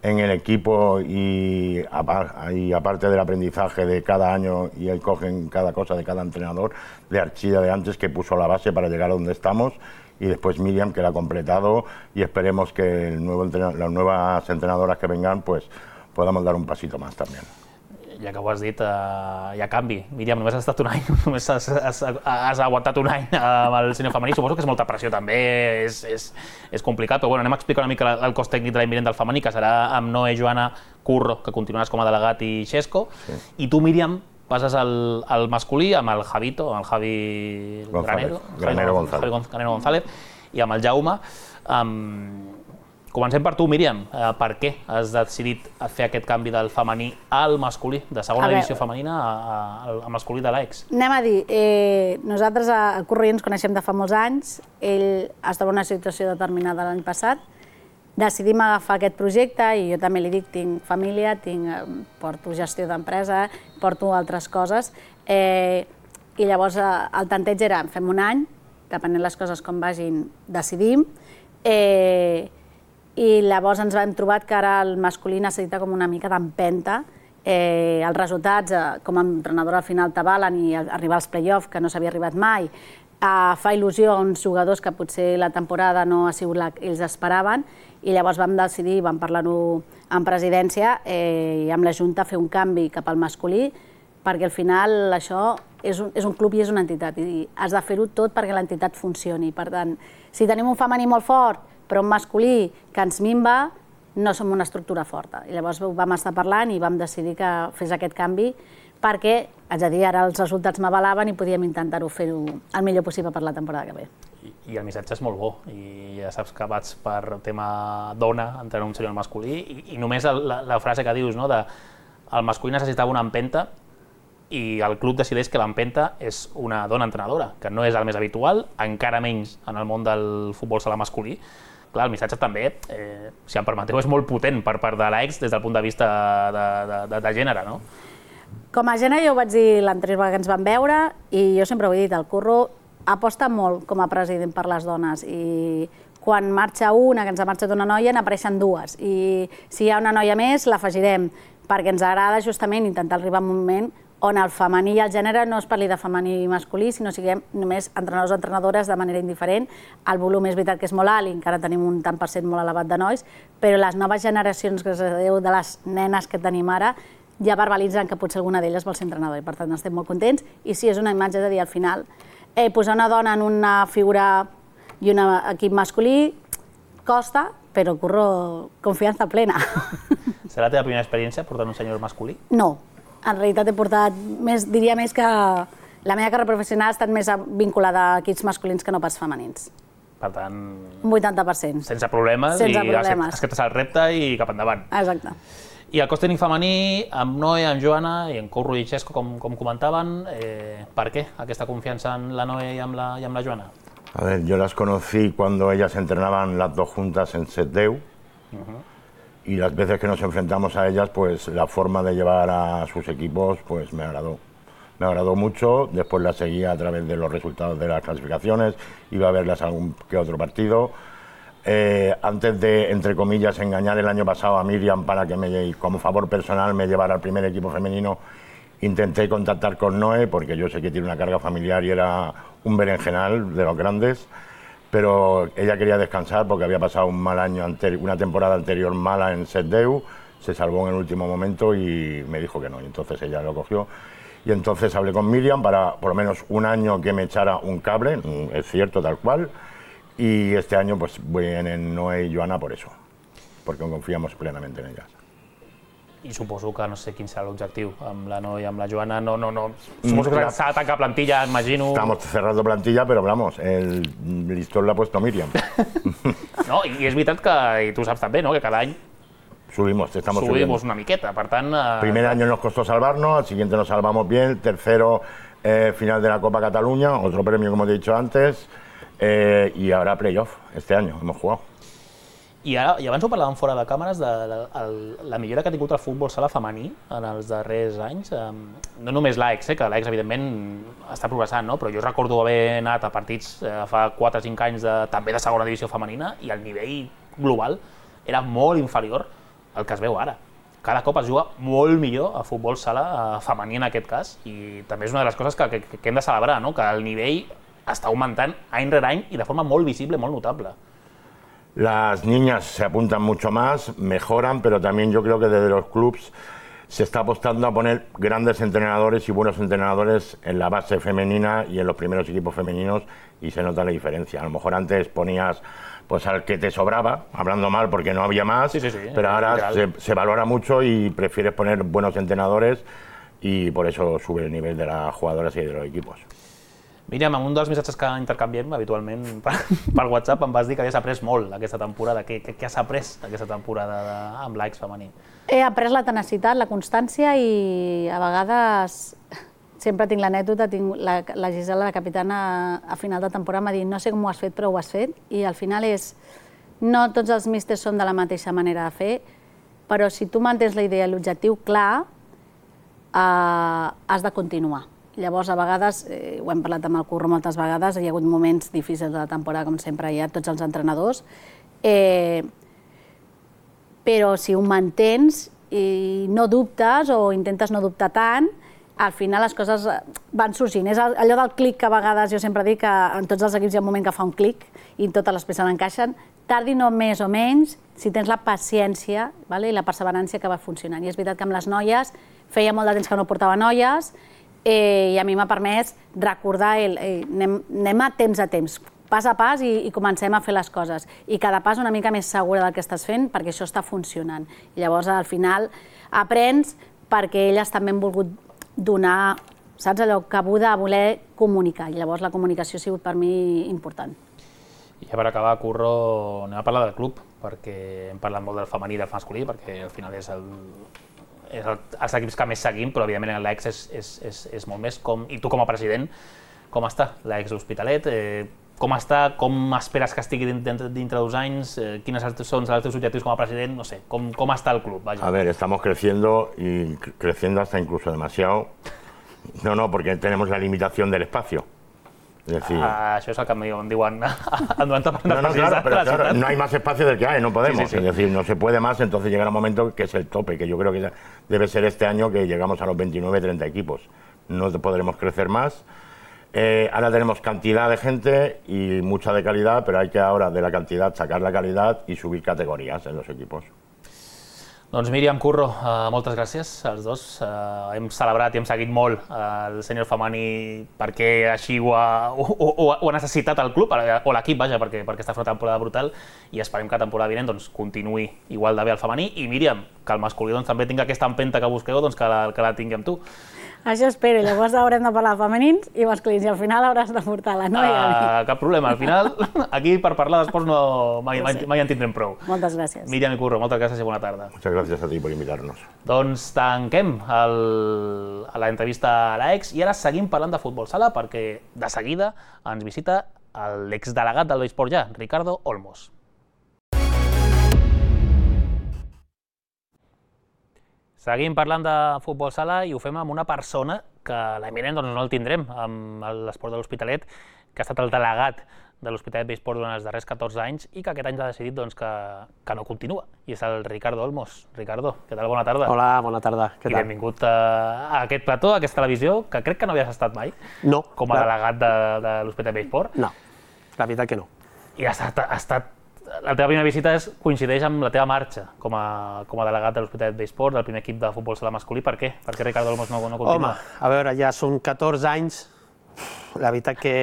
en el equipo y, y aparte del aprendizaje de cada año y ahí cogen cada cosa de cada entrenador, de Archida de antes que puso la base para llegar a donde estamos y después Míriam que la ha completado y esperemos que el nuevo las nuevas entrenadoras que vengan pues podamos dar un pasito más también. Ja que ho has dit, uh, hi ha canvi. Míriam, només has estat un any, només has, has, has aguantat un any amb el sènior femení, suposo que és molta pressió també, és, és, és complicat, però bueno, anem a explicar una mica el cos tècnic de l'any vinent del femení, que serà amb Noé, Joana, Curro, que continuaràs com a delegat, i Xesco, sí. I tu, Míriam, passes al, al masculí amb el Javito, amb el Javi González, Granero, Granero González. Javi Granero González, i amb el Jaume. Um, Comencem per tu, Míriam. Eh, per què has decidit fer aquest canvi del femení al masculí, de segona divisió femenina al masculí de l'A E X? Anem a dir, eh, nosaltres a Curro ens coneixem de fa molts anys, ell estava en una situació determinada l'any passat, decidim agafar aquest projecte i jo també li dic, tinc família, tinc, porto gestió d'empresa, porto altres coses, eh, i llavors el tanteig era, fem un any, depenent les coses com vagin, decidim, eh, i llavors ens vam trobar que ara el masculí necessita com una mica d'empenta. Eh, els resultats, eh, com a entrenadora al final t'avalen i arribar als play-off, que no s'havia arribat mai, eh, fa il·lusió a uns jugadors que potser la temporada no ha sigut la que ells esperaven, i llavors vam decidir, vam parlar-ho en presidència eh, i amb la Junta fer un canvi cap al masculí, perquè al final això és un, és un club i és una entitat, i has de fer-ho tot perquè l'entitat funcioni. Per tant, si tenim un femení molt fort, però un masculí que ens minva, no som una estructura forta. I llavors vam estar parlant i vam decidir que fes aquest canvi perquè, haig de dir, ara els resultats m'avalaven i podíem intentar-ho fer-ho el millor possible per la temporada que ve. I, I el missatge és molt bo, i ja saps que vaig per tema dona, entrenar un sènior masculí, i, i només la, la frase que dius, no, de el masculí necessitava una empenta i el club decideix que l'empenta és una dona entrenadora, que no és el més habitual, encara menys en el món del futbol sala masculí. Clar, el missatge també, eh, si em permeteu, és molt potent per part de l'A E X des del punt de vista de, de, de, de gènere, no? Com a gènere, jo ho vaig dir l'anterior vegada que ens vam veure, i jo sempre ho he dit, el Curro aposta molt com a president per les dones, i quan marxa una, que ens ha marxat una noia, n'apareixen dues, i si hi ha una noia més, l'afegirem, perquè ens agrada justament intentar arribar a un moment on el femení i el gènere no es parli de femení i masculí, sinó siguem només entrenadors o entrenadores de manera indiferent. El volum és veritat que és molt alt i encara tenim un tant per cent molt elevat de nois, però les noves generacions, gràcies a Déu, de les nenes que tenim ara, ja verbalitzen que potser alguna d'elles vol ser entrenadora, i per tant estem molt contents. I sí, és una imatge de dir, al final, eh, posar una dona en una figura i un equip masculí costa, però Curro, confiança plena. Serà la teva primera experiència portant un sènior masculí? No. En realitat he portat, més, diria més que la meva carrera professional ha estat més vinculada a equips masculins que no pas femenins. Per tant... Un vuitanta per cent. Sense problemes, sense i problemes. acceptes el repte i cap endavant. Exacte. I el cos tècnic femení, amb Noé, amb Joana i amb Curro i Xesco, com, com comentaven, eh, per què aquesta confiança en la Noé i amb la, i amb la Joana? A ver, yo las conocí cuando ellas entrenaban las dos juntas en Setdeu. Uh-huh. Y las veces que nos enfrentamos a ellas, pues la forma de llevar a sus equipos pues me agradó. Me agradó mucho, después las seguía a través de los resultados de las clasificaciones, iba a verlas algún que otro partido. Eh, antes de, entre comillas, engañar el año pasado a Míriam para que me, como favor personal me llevara al primer equipo femenino, intenté contactar con Noé, porque yo sé que tiene una carga familiar y era un berenjenal de los grandes. Pero ella quería descansar porque había pasado un mal año, una temporada anterior mala en Setdeu, se salvó en el último momento y me dijo que no, y entonces ella lo cogió. Y entonces hablé con Míriam para por lo menos un año que me echara un cable, es cierto, tal cual, y este año pues vienen Noé y Joana por eso, porque confiamos plenamente en ellas. I suposo que no sé quin serà l'objectiu amb la Noé i amb la Joana, no, no, no. Suposo que s'ha de tancar plantilla, imagino. Estamos cerrando plantilla, pero vamos, el listón l'ha puesto Míriam. No, i és veritat que, i tu saps també, no?, que cada any subimos, estamos subimos subiendo. una miqueta, per tant... Eh... Primer año nos costó salvarnos, al siguiente nos salvamos bien, tercero eh, final de la Copa Cataluña, otro premio como te he dicho antes, eh, y ahora playoff, este año hemos jugado. I, ara, I abans ho parlàvem fora de càmeres de la, el, la millora que ha tingut el futbol sala femení en els darrers anys. Um, no només l'A E X, eh, que l'A E X evidentment està progressant, no? Però jo recordo haver anat a partits eh, fa quatre o cinc anys de, també de segona divisió femenina i el nivell global era molt inferior al que es veu ara. Cada cop es juga molt millor a futbol sala eh, femení en aquest cas, i també és una de les coses que, que, que hem de celebrar, no? Que el nivell està augmentant any rere any i de forma molt visible, molt notable. Las niñas se apuntan mucho más, mejoran, pero también yo creo que desde los clubs se está apostando a poner grandes entrenadores y buenos entrenadores en la base femenina y en los primeros equipos femeninos, y se nota la diferencia. A lo mejor antes ponías pues al que te sobraba, hablando mal porque no había más, sí, sí, sí, pero ahora se, se valora mucho y prefieres poner buenos entrenadores, y por eso sube el nivel de las jugadoras y de los equipos. Míriam, en un dels missatges que intercanviem habitualment per WhatsApp em vas dir que havies après molt aquesta temporada. Què has après aquesta temporada amb l'A E X femení? He après la tenacitat, la constància i a vegades sempre tinc l'anècdota, tinc la Gisela, la capitana, a final de temporada m'ha dit no sé com ho has fet, però ho has fet, i al final és, no tots els místers són de la mateixa manera de fer, però si tu mantens la idea i l'objectiu clar, has de continuar. Llavors, a vegades, ho hem parlat amb el Curro moltes vegades, hi ha hagut moments difícils de la temporada, com sempre hi ha tots els entrenadors, però si ho mantens i no dubtes o intentes no dubtar tant, al final les coses van sorgint. És allò del clic que a vegades jo sempre dic que en tots els equips hi ha un moment que fa un clic i totes les peces encaixen, tardi no més o menys, si tens la paciència i la perseverància que va funcionant. I és veritat que amb les noies feia molt de temps que no portava noies i a mi m'ha permès recordar anem a temps a temps, pas a pas i comencem a fer les coses. I cada pas una mica més segura del que estàs fent perquè això està funcionant. I llavors al final aprens perquè elles també han volgut donar, saps, allò cabuda a voler comunicar. I llavors la comunicació ha sigut per mi important. I ja per acabar, Curro, anem a parlar del club, perquè hem parlat molt del femení i del masculí, perquè al final és els equips que més seguim, però evidentment l'A E X és molt més. I tu com a president, com està l'A E X Hospitalet? Com està? Com esperes que estigui dintre dos anys? Quins són els teus objectius com a president? No sé, com està el club? A ver, estamos creciendo y creciendo hasta incluso demasiado. No, no, porque tenemos la limitación del espacio. Es decir... Això és el que em diuen durant el No, no, claro, pero claro, no hay más espacio del que hay, no podemos. Es decir, no se puede más, entonces llegará un momento que es el tope, que yo creo que debe ser este año que llegamos a los veintinueve treinta equipos. No podremos crecer más. Eh, ahora tenemos cantidad de gente y mucha de calidad, pero hay que ahora de la cantidad sacar la calidad y subir categorías en los equipos. Doncs Míriam, Curro, uh, moltes gràcies als dos. Uh, hem celebrat i hem seguit molt uh, el sènior femení perquè així ho ha, ho, ho, ho ha necessitat el club, o l'equip, vaja, perquè, perquè està fent una temporada brutal i esperem que la temporada vinent doncs, continuï igual de bé el femení. I Míriam, que el masculí doncs, també tingui aquesta empenta que busqueu, doncs, que, la, que la tingui amb tu. Això espero, llavors haurem de parlar de femenins i masculins i al final hauràs de portar la noia. Uh, cap problema, al final aquí per parlar d'esports no, mai, mai, mai en tindrem prou. Moltes gràcies. Míriam i Curro, moltes gràcies i bona tarda. Muchas gracias a ti por invitarnos. Doncs tanquem el, l'entrevista a l'A E X i ara seguim parlant de futbol sala perquè de seguida ens visita l'exdelegat del Besport Ja, Ricardo Olmos. Seguim parlant de futbol sala i ho fem amb una persona que l'eminent doncs, no el tindrem amb l'esport de l'Hospitalet, que ha estat el delegat de l'Hospitalet Besport durant els darrers catorze anys i que aquest any ha decidit doncs, que, que no continua, i és el Ricardo Olmos. Ricardo, què tal? Bona tarda. Hola, bona tarda. Què I tal? benvingut a, a aquest plató, a aquesta televisió, que crec que no havies estat mai No. com a la... delegat de, de l'Hospitalet Besport. No, la veritat que no. I ha estat, ha estat la teva primera visita és, coincideix amb la teva marxa com a, com a delegat de l'Hospitalet Besport, del primer equip de futbol sala masculí. Per què? Per què Ricardo Olmos no, no continua? Home, a veure, ja són catorze anys. La veritat que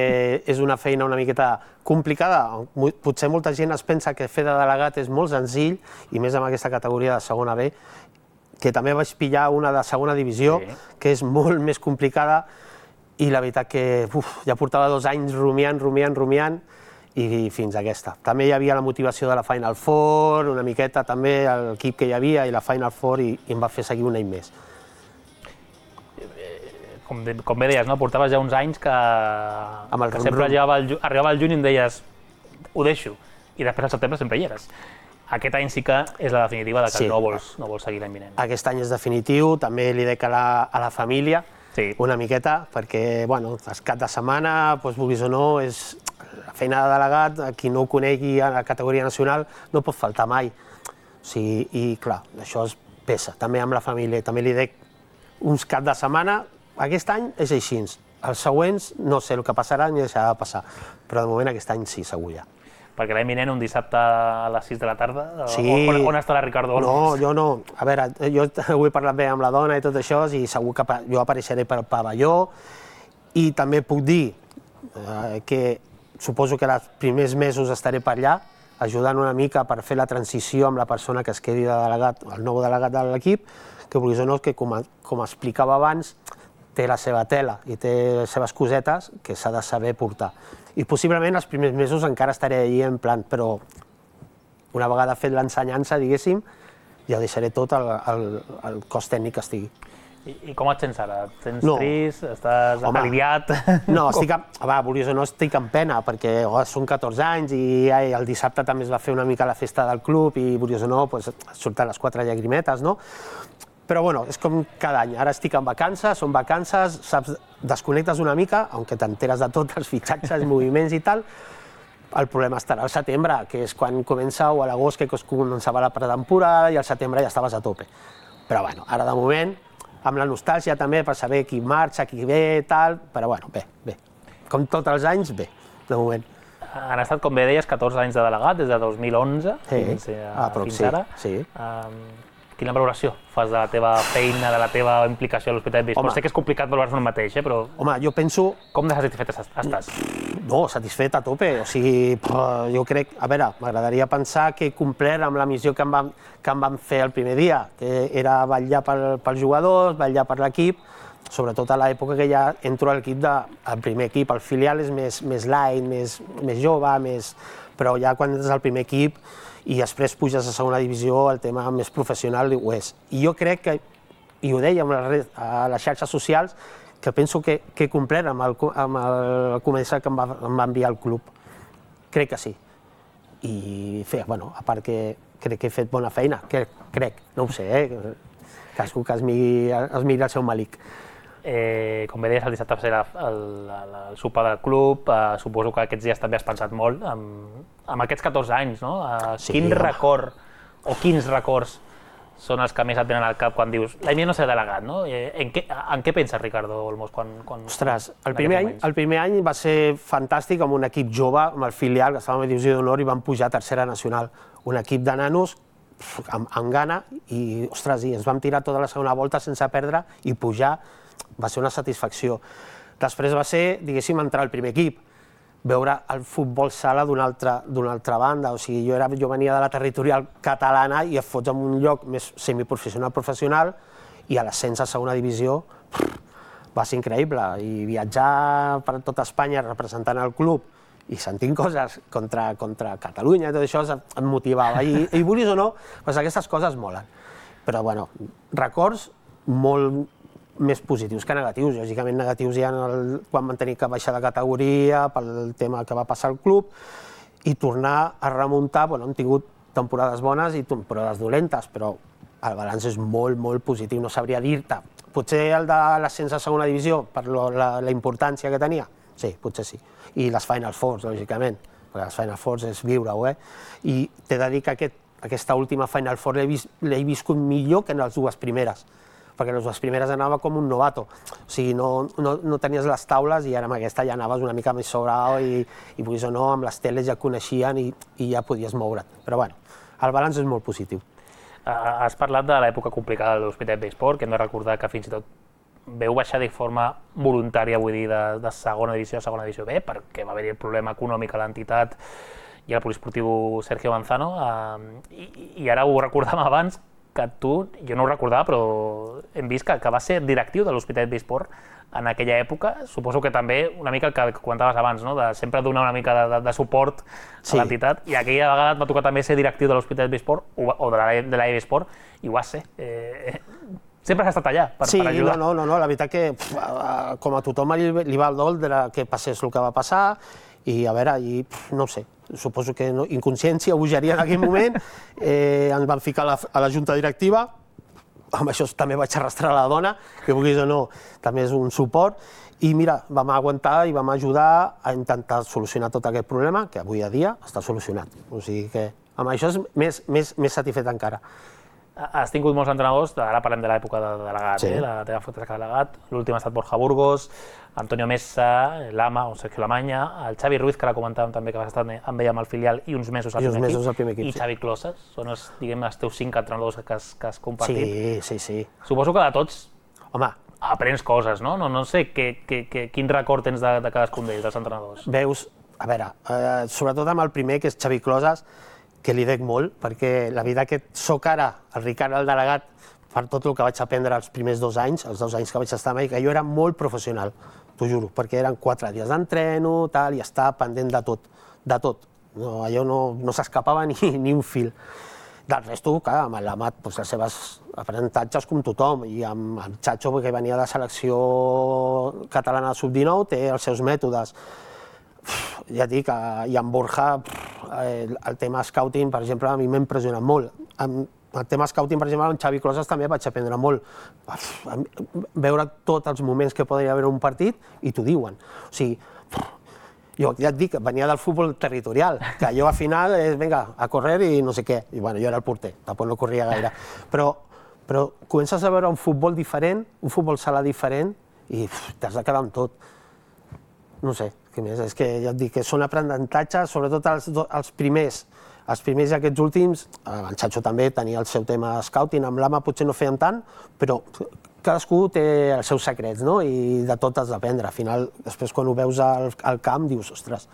és una feina una miqueta complicada. Potser molta gent es pensa que fer de delegat és molt senzill, i més amb aquesta categoria de segona B, que també vaig pillar una de segona divisió, sí, que és molt més complicada, i la veritat que uf, ja portava dos anys rumiant, rumiant, rumiant, i fins a aquesta. També hi havia la motivació de la Final Four, una miqueta també l'equip que hi havia i la Final Four, i, i em va fer seguir un any més. Com, de, com bé deies, no? Portaves ja uns anys que, Amb el que rum, sempre rum. arribava el, arribava el juny i em deies ho deixo, i després al setembre sempre hi eres. Aquest any sí que és la definitiva de que Sí. no vols, no vols seguir l'any vinent. Aquest any és definitiu, també li dec a la, a la família, Sí. una miqueta, perquè, bueno, els cap de setmana, doncs, vulguis o no, és la feina de delegat, a qui no ho conegui a la categoria nacional, no pot faltar mai. O sigui, i clar, això es pesa, també amb la família, també li dec uns cap de setmana. Aquest any és així, els següents no sé el que passarà ni deixarà de passar, però de moment aquest any sí, segur ja. Perquè l'any vinent, un dissabte a les sis de la tarda, Sí. on, on estarà Ricardo Olmos? No, jo no. A veure, jo ho he parlat bé amb la dona i tot això, i segur que jo apareixeré per pavelló, i també puc dir eh, que suposo que els primers mesos estaré per allà, ajudant una mica per fer la transició amb la persona que es quedi de delegat, el nou delegat de l'equip, que vulguis o no, que com, com explicava abans, té la seva tela i té les seves cosetes que s'ha de saber portar. I possiblement els primers mesos encara estaré allí en plan, però una vegada fet l'ensenyança, diguéssim, ja ho deixaré tot al, al, al cos tècnic que estigui. I, I com et sents ara? Et sents No. trist? Estàs Home, aliviat? No, estic, amb, va, vulguis o no, estic amb pena, perquè oh, són catorze anys i ai, el dissabte també es va fer una mica la festa del club i, vulguis o no, pues, surten les quatre llagrimetes, no? Però bueno, és com cada any. Ara estic en vacances, són vacances, saps, desconnectes una mica, aunque t'enteres de tot, els fitxatges, moviments i tal. El problema estarà al setembre, que és quan comença, o a l'agost, que començava la pretemporada, i al setembre ja estaves a tope. Però bueno, ara de moment, amb la nostàlgia també per saber qui marxa, qui ve, tal, però bueno, bé, bé. Com tots els anys, bé, de moment. Han estat, com bé deies, catorze anys de delegat, des de dos mil onze Sí, fins, a, ah, però fins sí, ara. sí. Um, quina valoració fas de la teva feina, de la teva implicació a l'Hospitalet de Bisport? Sé que és complicat valorar-se un mateix, eh, però Home, jo penso... com de satisfet estàs? No, satisfet a tope, o sigui, jo crec, a veure, m'agradaria pensar que he complert amb la missió que em van, que em van fer el primer dia, que era vetllar pel, pels jugadors, vetllar per l'equip, sobretot a l'època que ja entro a l'equip de, al primer equip, el filial és més, més light, més, més jove, més... però ja quan ets al primer equip i després puges a segona divisió, el tema més professional ho és. I jo crec que, i ho deia a les xarxes socials, que penso que, que he complert amb el, amb el començar que em va, em va enviar el club. Crec que sí. I fe, bueno, a part que crec que he fet bona feina, que crec, no ho sé, eh? Cadascú que es miri, es miri el seu malic. Eh, com bé deies, el dissabte va ser la, el, el, el sopar del club, eh, suposo que aquests dies també has pensat molt, amb, amb aquests catorze anys, no? Eh, Sí, quin home. record, o quins records són els que més et venen al cap quan dius l'any vinent no seré delegat, no? Eh, en, què, en què penses, Ricardo Olmos, quan... quan Ostres, el en primer, aquests any, moments? el primer any va ser fantàstic amb un equip jove, amb el filial, que estàvem a Divisió d'Honor i vam pujar a Tercera Nacional. Un equip de nanos pf, amb, amb gana i, ostres, i ens vam tirar tota la segona volta sense perdre i pujar. Va ser una satisfacció. Després va ser, diguéssim, entrar al primer equip, veure el futbol sala d'una altra, d'una altra banda. O sigui, jo, era, jo venia de la territorial catalana i et fots en un lloc més semiprofessional-professional i a l'ascens a segona divisió pff, va ser increïble. I viatjar per tot Espanya representant el club i sentint coses contra, contra Catalunya i tot això em motivava. I, i vulguis o no, doncs aquestes coses molen. Però, bueno, records molt més positius que negatius. Lògicament negatius hi ha el, quan van tenir que baixar de categoria pel tema que va passar al club i tornar a remuntar. Bueno, hem tingut temporades bones i temporades dolentes, però el balanç és molt, molt positiu. No sabria dir-te. Potser el de l'ascens a segona divisió, per lo, la, la importància que tenia, sí, potser sí. I les Final Fours, lògicament, perquè les Final Fours és viure-ho, eh? I t'he de dir que aquest, aquesta última Final Four l'he vis, viscut millor que en les dues primeres, perquè en les dues primeres anava com un novato, o sigui, no, no, no tenies les taules i ara amb aquesta ja anaves una mica més sobrado i, i vulguis o no, amb les teles ja coneixien i, i ja podies moure't. Però bueno, el balanç és molt positiu. Has parlat de l'època complicada de l'Hospitalet de Bisport, que hem de recordar que fins i tot veu baixar de forma voluntària, vull dir, de, de segona divisió a segona divisió B, perquè va haver-hi el problema econòmic a l'entitat i al poliesportiu Sergio Manzano, eh, i, i ara ho recordàvem abans, que tu, jo no ho recordava, però hem vist que, que va ser directiu de l'Hospitalet de Bisport en aquella època. Suposo que també una mica el que comentaves abans, no? De sempre donar una mica de, de, de suport Sí. a l'entitat, i aquella vegada et va tocar també ser directiu de l'Hospitalet de Bisport o, o de la, de la E B Sport, i ho vas ser. Eh, sempre has estat allà per, sí, per ajudar. no, no, no, la veritat que pf, a- com a tothom li, li va el dol de la, que passés el que va passar i a veure, i, pf, no ho sé, suposo que no, inconsciència, bogeria en aquell moment, eh, ens van ficar a la, a la junta directiva, amb això també vaig arrastrar la dona, que vulguis o no, també és un suport, i mira, vam aguantar i vam ajudar a intentar solucionar tot aquest problema, que avui a dia està solucionat. O sigui que amb això és més, més, més satisfet encara. Has tingut molts entrenadors, ara parlem de l'època de delegat, Sí. eh? La teva foto de delegat, l'últim ha estat Borja Burgos, Antonio Mesa, Lama o Sergio Lamanya, el Xavi Ruiz, que la comentàvem també, que vas estar amb ell amb el filial i uns mesos al I uns primer, mesos equip, al primer equip, i sí. Xavi Closes, són els, diguem, els teus cinc entrenadors que has, que has compartit. Sí, sí, sí. Suposo que de tots Home, aprens coses, no? No, no sé que, que, que, quin record tens de, de cadascun d'ells, dels entrenadors. veus, a veure, eh, sobretot amb el primer, que és Xavi Closes, que li dec molt, perquè la vida que sóc ara, el Ricard, el delegat, per tot el que vaig aprendre els primers dos anys, els dos anys que vaig estar a Amèrica, jo era molt professional, t'ho juro, perquè eren quatre dies d'entreno, tal, i estava pendent de tot, de tot. No, allò no, no s'escapava ni, ni un fil. Del resto, clar, amb l'Amat, doncs, els seus aprenentatges com tothom, i amb el Chacho, que venia de selecció catalana sub dinou, té els seus mètodes. Ja et dic, i amb Borja, el tema scouting, per exemple, a mi m'ha impressionat molt. El tema scouting, per exemple, amb Xavi Closas també vaig aprendre molt. Veure tots els moments que podria haver un partit i t'ho diuen. O sigui, jo ja et dic, venia del futbol territorial, que jo al final és, vinga, a córrer i no sé què. I bueno, jo era el porter, tampoc no corria gaire. Però, però comences a veure un futbol diferent, un futbol sala diferent, i t'has de quedar amb tot. No sé, què més? És que ja et dic que són aprenentatges, sobretot els, els primers. Els primers i aquests últims, el Chacho també tenia el seu tema scouting, amb l'Ama potser no feien tant, però cadascú té els seus secrets, no? I de tot has d'aprendre. Al final, després quan ho veus al, al camp, dius, ostres,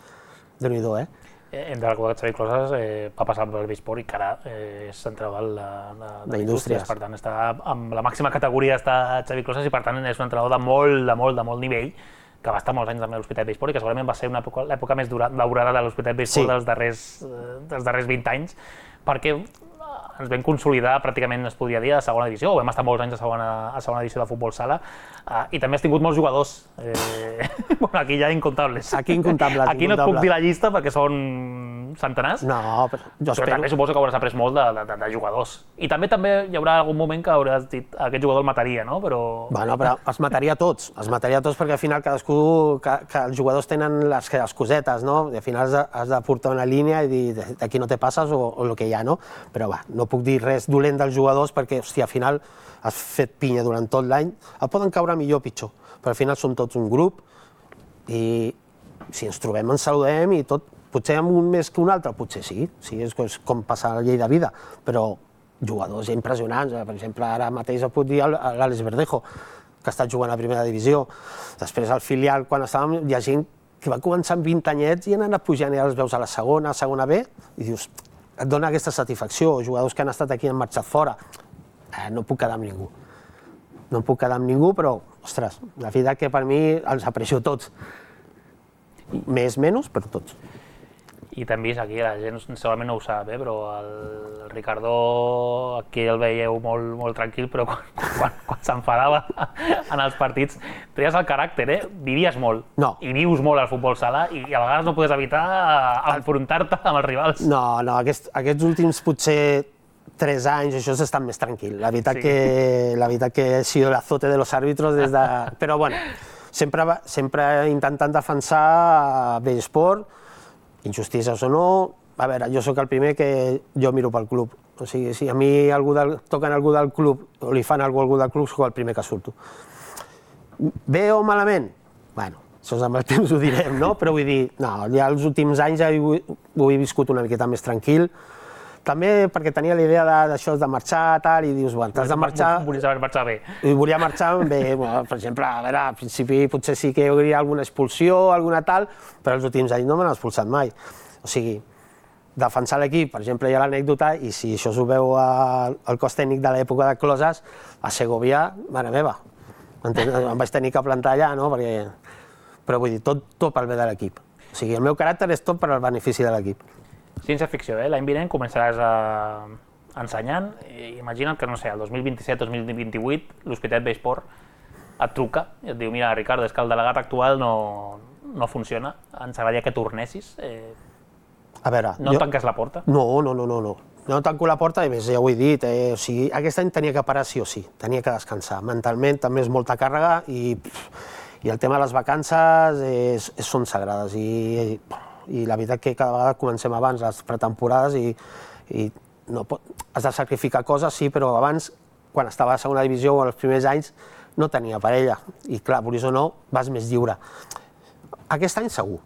Déu-n'hi-do, eh? Entre la qual Xavi Closas eh, va passar per el Besport i que ara eh, és central de, de, de indústries. Per tant, està amb la màxima categoria està Xavi Closas i per tant és un entrenador de molt, de molt, de molt nivell, que va estar molts anys també a l'Hospitalet Besport i que segurament va ser l'època més daurada de l'Hospitalet Besport sí. dels, darrers, dels darrers vint anys, perquè ens vam consolidar pràcticament, es podria dir, a segona divisió, o vam estar molts anys a segona, a segona divisió de futbol sala, uh, i també has tingut molts jugadors. Eh, bueno, aquí ja incontables. Aquí incontables. Aquí no et puc dir la llista perquè són centenars, no, però, jo però també suposo que hauràs après molt de, de, de jugadors. I també també hi haurà algun moment que hauràs dit aquest jugador el mataria, no? Però... Bueno, però els mataria tots, els mataria tots perquè al final cadascú, que, que els jugadors tenen les, les cosetes, no? I al final has de, has de portar una línia i dir d'aquí no te passes o, o el que hi ha, no? Però va, no puc dir res dolent dels jugadors perquè, hòstia, al final has fet pinya durant tot l'any, el poden caure millor o pitjor, però al final som tots un grup i si ens trobem ens saludem i tot. Potser amb un més que un altre, potser sí, sí és com passar la llei de vida, però jugadors impressionants, per exemple, ara mateix et puc dir l'Àlex Verdejo, que ha estat jugant a primera divisió. Després al filial, quan estàvem, hi ha gent que va començar amb vint anyets i han anat pujant i ara els veus a la segona, a segona B, i dius, et dona aquesta satisfacció, jugadors que han estat aquí i han marxat fora. Eh, no puc quedar amb ningú. No puc quedar amb ningú, però, ostres, la vida que per mi els aprecio tots. Més, menys, però tots. I t'hem vist aquí, la gent segurament no ho sap, eh? Però el Ricardo aquí el veieu molt, molt tranquil, però quan, quan, quan s'enfadava en els partits tenies el caràcter, eh? Vivies molt, no. I vius molt al futbol sala i a vegades no podies evitar enfrontar-te amb els rivals. No, no, aquests, aquests últims potser tres anys això has estat més tranquil. La veritat, sí. que, la veritat que he sido el azote de los árbitros des de... Però bueno, sempre, sempre intentant defensar Besport, injustícies o no, a veure, jo sóc el primer que jo miro pel club. O sigui, si a mi algú del, toquen algú del club o li fan algú, algú del club, sóc el primer que surto. Bé o malament? Bueno, això amb el temps ho direm, no? Però vull dir, no, ja els últims anys ja ho, ho he viscut una miqueta més tranquil. També perquè tenia la idea d'això de, de marxar, tal, i dius, bueno, t'has de marxar... Volies marxar bé. I volia marxar bé, bueno, per exemple, a veure, al principi potser sí que hi hauria alguna expulsió, alguna tal, però els últims anys no me n'han expulsat mai. O sigui, defensar l'equip, per exemple, hi ha l'anècdota, i si això s'ho veu al cos tècnic de l'època de Closas, a Segovia, mare meva, em vaig tenir que plantar allà, no? Perquè... Però vull dir, tot, tot pel bé de l'equip. O sigui, el meu caràcter és tot per al benefici de l'equip. Ciència-ficció, eh? L'any vinent començaràs a... ensenyant. Imagina't que, no sé, el dos mil vint-i-set dos mil vint-i-vuit l'Hospitalet Besport et truca i et diu, mira, Ricardo, és que el delegat actual no, no funciona, ens agradaria que tornessis. Eh... A veure... No jo... tanques la porta? No, no, no, no, no. No tanco la porta i més, ja ho he dit, eh? O sigui, aquest any tenia que parar sí o sí, tenia que descansar. Mentalment també és molta càrrega i, i el tema de les vacances és, és, són sagrades i... i la veritat que cada vegada comencem abans les pretemporades i, i no pot, has de sacrificar coses, sí, però abans, quan estava a la segona divisió o els primers anys, no tenia parella. I clar, vulguis o no, vas més lliure. Aquest any segur.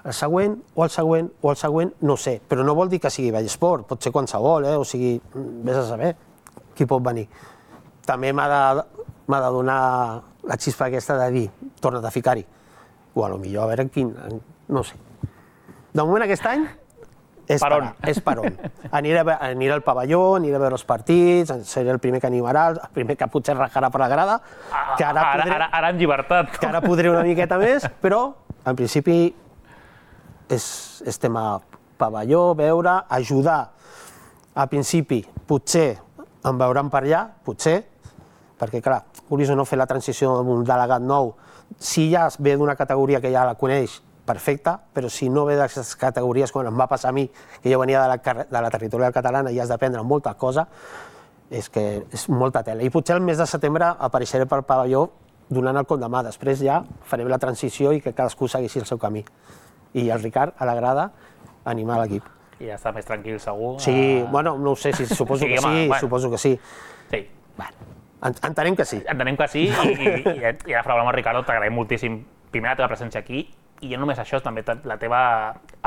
El següent, o el següent, o el següent, no sé, però no vol dir que sigui Vallesport, pot ser qualsevol, eh? O sigui, vés a saber qui pot venir. També m'ha de, m'ha de donar la xispa aquesta de dir, torna't a ficar-hi. O a lo millor a veure quin, no sé. De moment aquest any És per on? És per on. Aniré, aniré al pavelló, aniré a veure els partits, seré el primer que animarà, el primer que potser rajarà per la grada, que ara, Ara, podré, ara, ara en llibertat. que ara podré una miqueta més, però en principi és, és tema pavelló, veure, ajudar. A principi, potser em veuran per allà, potser, perquè clar, vulguis o no fer la transició amb un delegat nou, si ja ve d'una categoria que ja la coneix, perfecte, però si no ve d'aquestes categories, com em va passar a mi, que jo venia de la, de la territorial catalana i has d'aprendre molta cosa, és que és molta tela. I potser el mes de setembre apareixeré pel pavelló donant el cop de mà. Després ja farem la transició i que cadascú segueixi el seu camí. I el Ricard, a la grada, animar l'equip. I ja està més tranquil, segur. Sí, bueno, no ho sé, si suposo Sí, que home, sí, bueno. suposo que sí. Sí. En- Entenem que sí. Entenem que sí, i, i, i, i ara parlant amb el Ricardo, t'agraïm moltíssim, primer, la teva presència aquí, i no només això, també la teva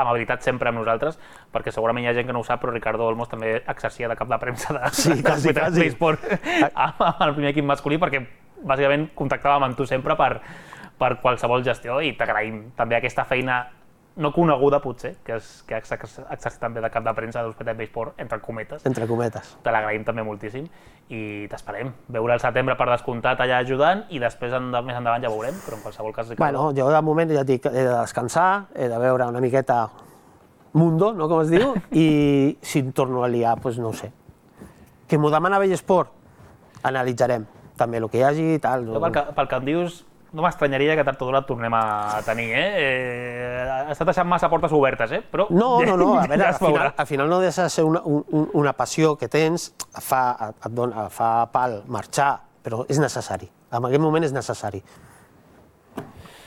amabilitat sempre amb nosaltres, perquè segurament hi ha gent que no ho sap, però Ricardo Olmos també exercia de cap de premsa de, Sí, quasi, de quasi. Esport amb, amb el primer equip masculí, perquè bàsicament contactàvem amb tu sempre per, per qualsevol gestió, i t'agraïm també aquesta feina no coneguda, potser, que, és, que has exercit també de cap de premsa d'Hospitalet Esport, entre cometes. Entre cometes. Te l'agraïm també moltíssim i t'esperem veure el setembre per descomptat allà ajudant i després en, més endavant ja veurem, però en qualsevol cas... Ricardo... Bueno, jo de moment ja et dic, he de descansar, he de veure una miqueta mundo, no com es diu, i si em torno a liar, doncs no ho sé. Que m'ho demana Bellesport, analitzarem també el que hi hagi i tal. Jo, pel, que, pel que em dius, no m'estranyaria que tard o d'hora et tornem a tenir, eh? eh? Has estat deixant massa portes obertes, eh? Però... No, no, no, a veure, ja al es veurà. final, al final no deixa de ser una, un, una passió que tens, fa, et dona, fa pal marxar, però és necessari. En aquest moment és necessari.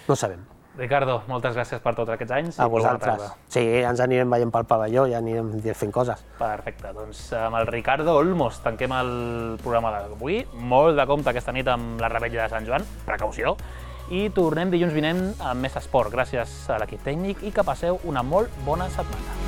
No sabem. Ricardo, moltes gràcies per tots aquests anys. A i molt bona vosaltres. tarda. Sí, ens anirem veient pel pavelló i anirem fent coses. Perfecte, doncs amb el Ricardo Olmos tanquem el programa d'avui. Molt de compte aquesta nit amb la Revetlla de Sant Joan, precaució. I tornem dilluns vinent amb més esport. Gràcies a l'equip tècnic i que passeu una molt bona setmana.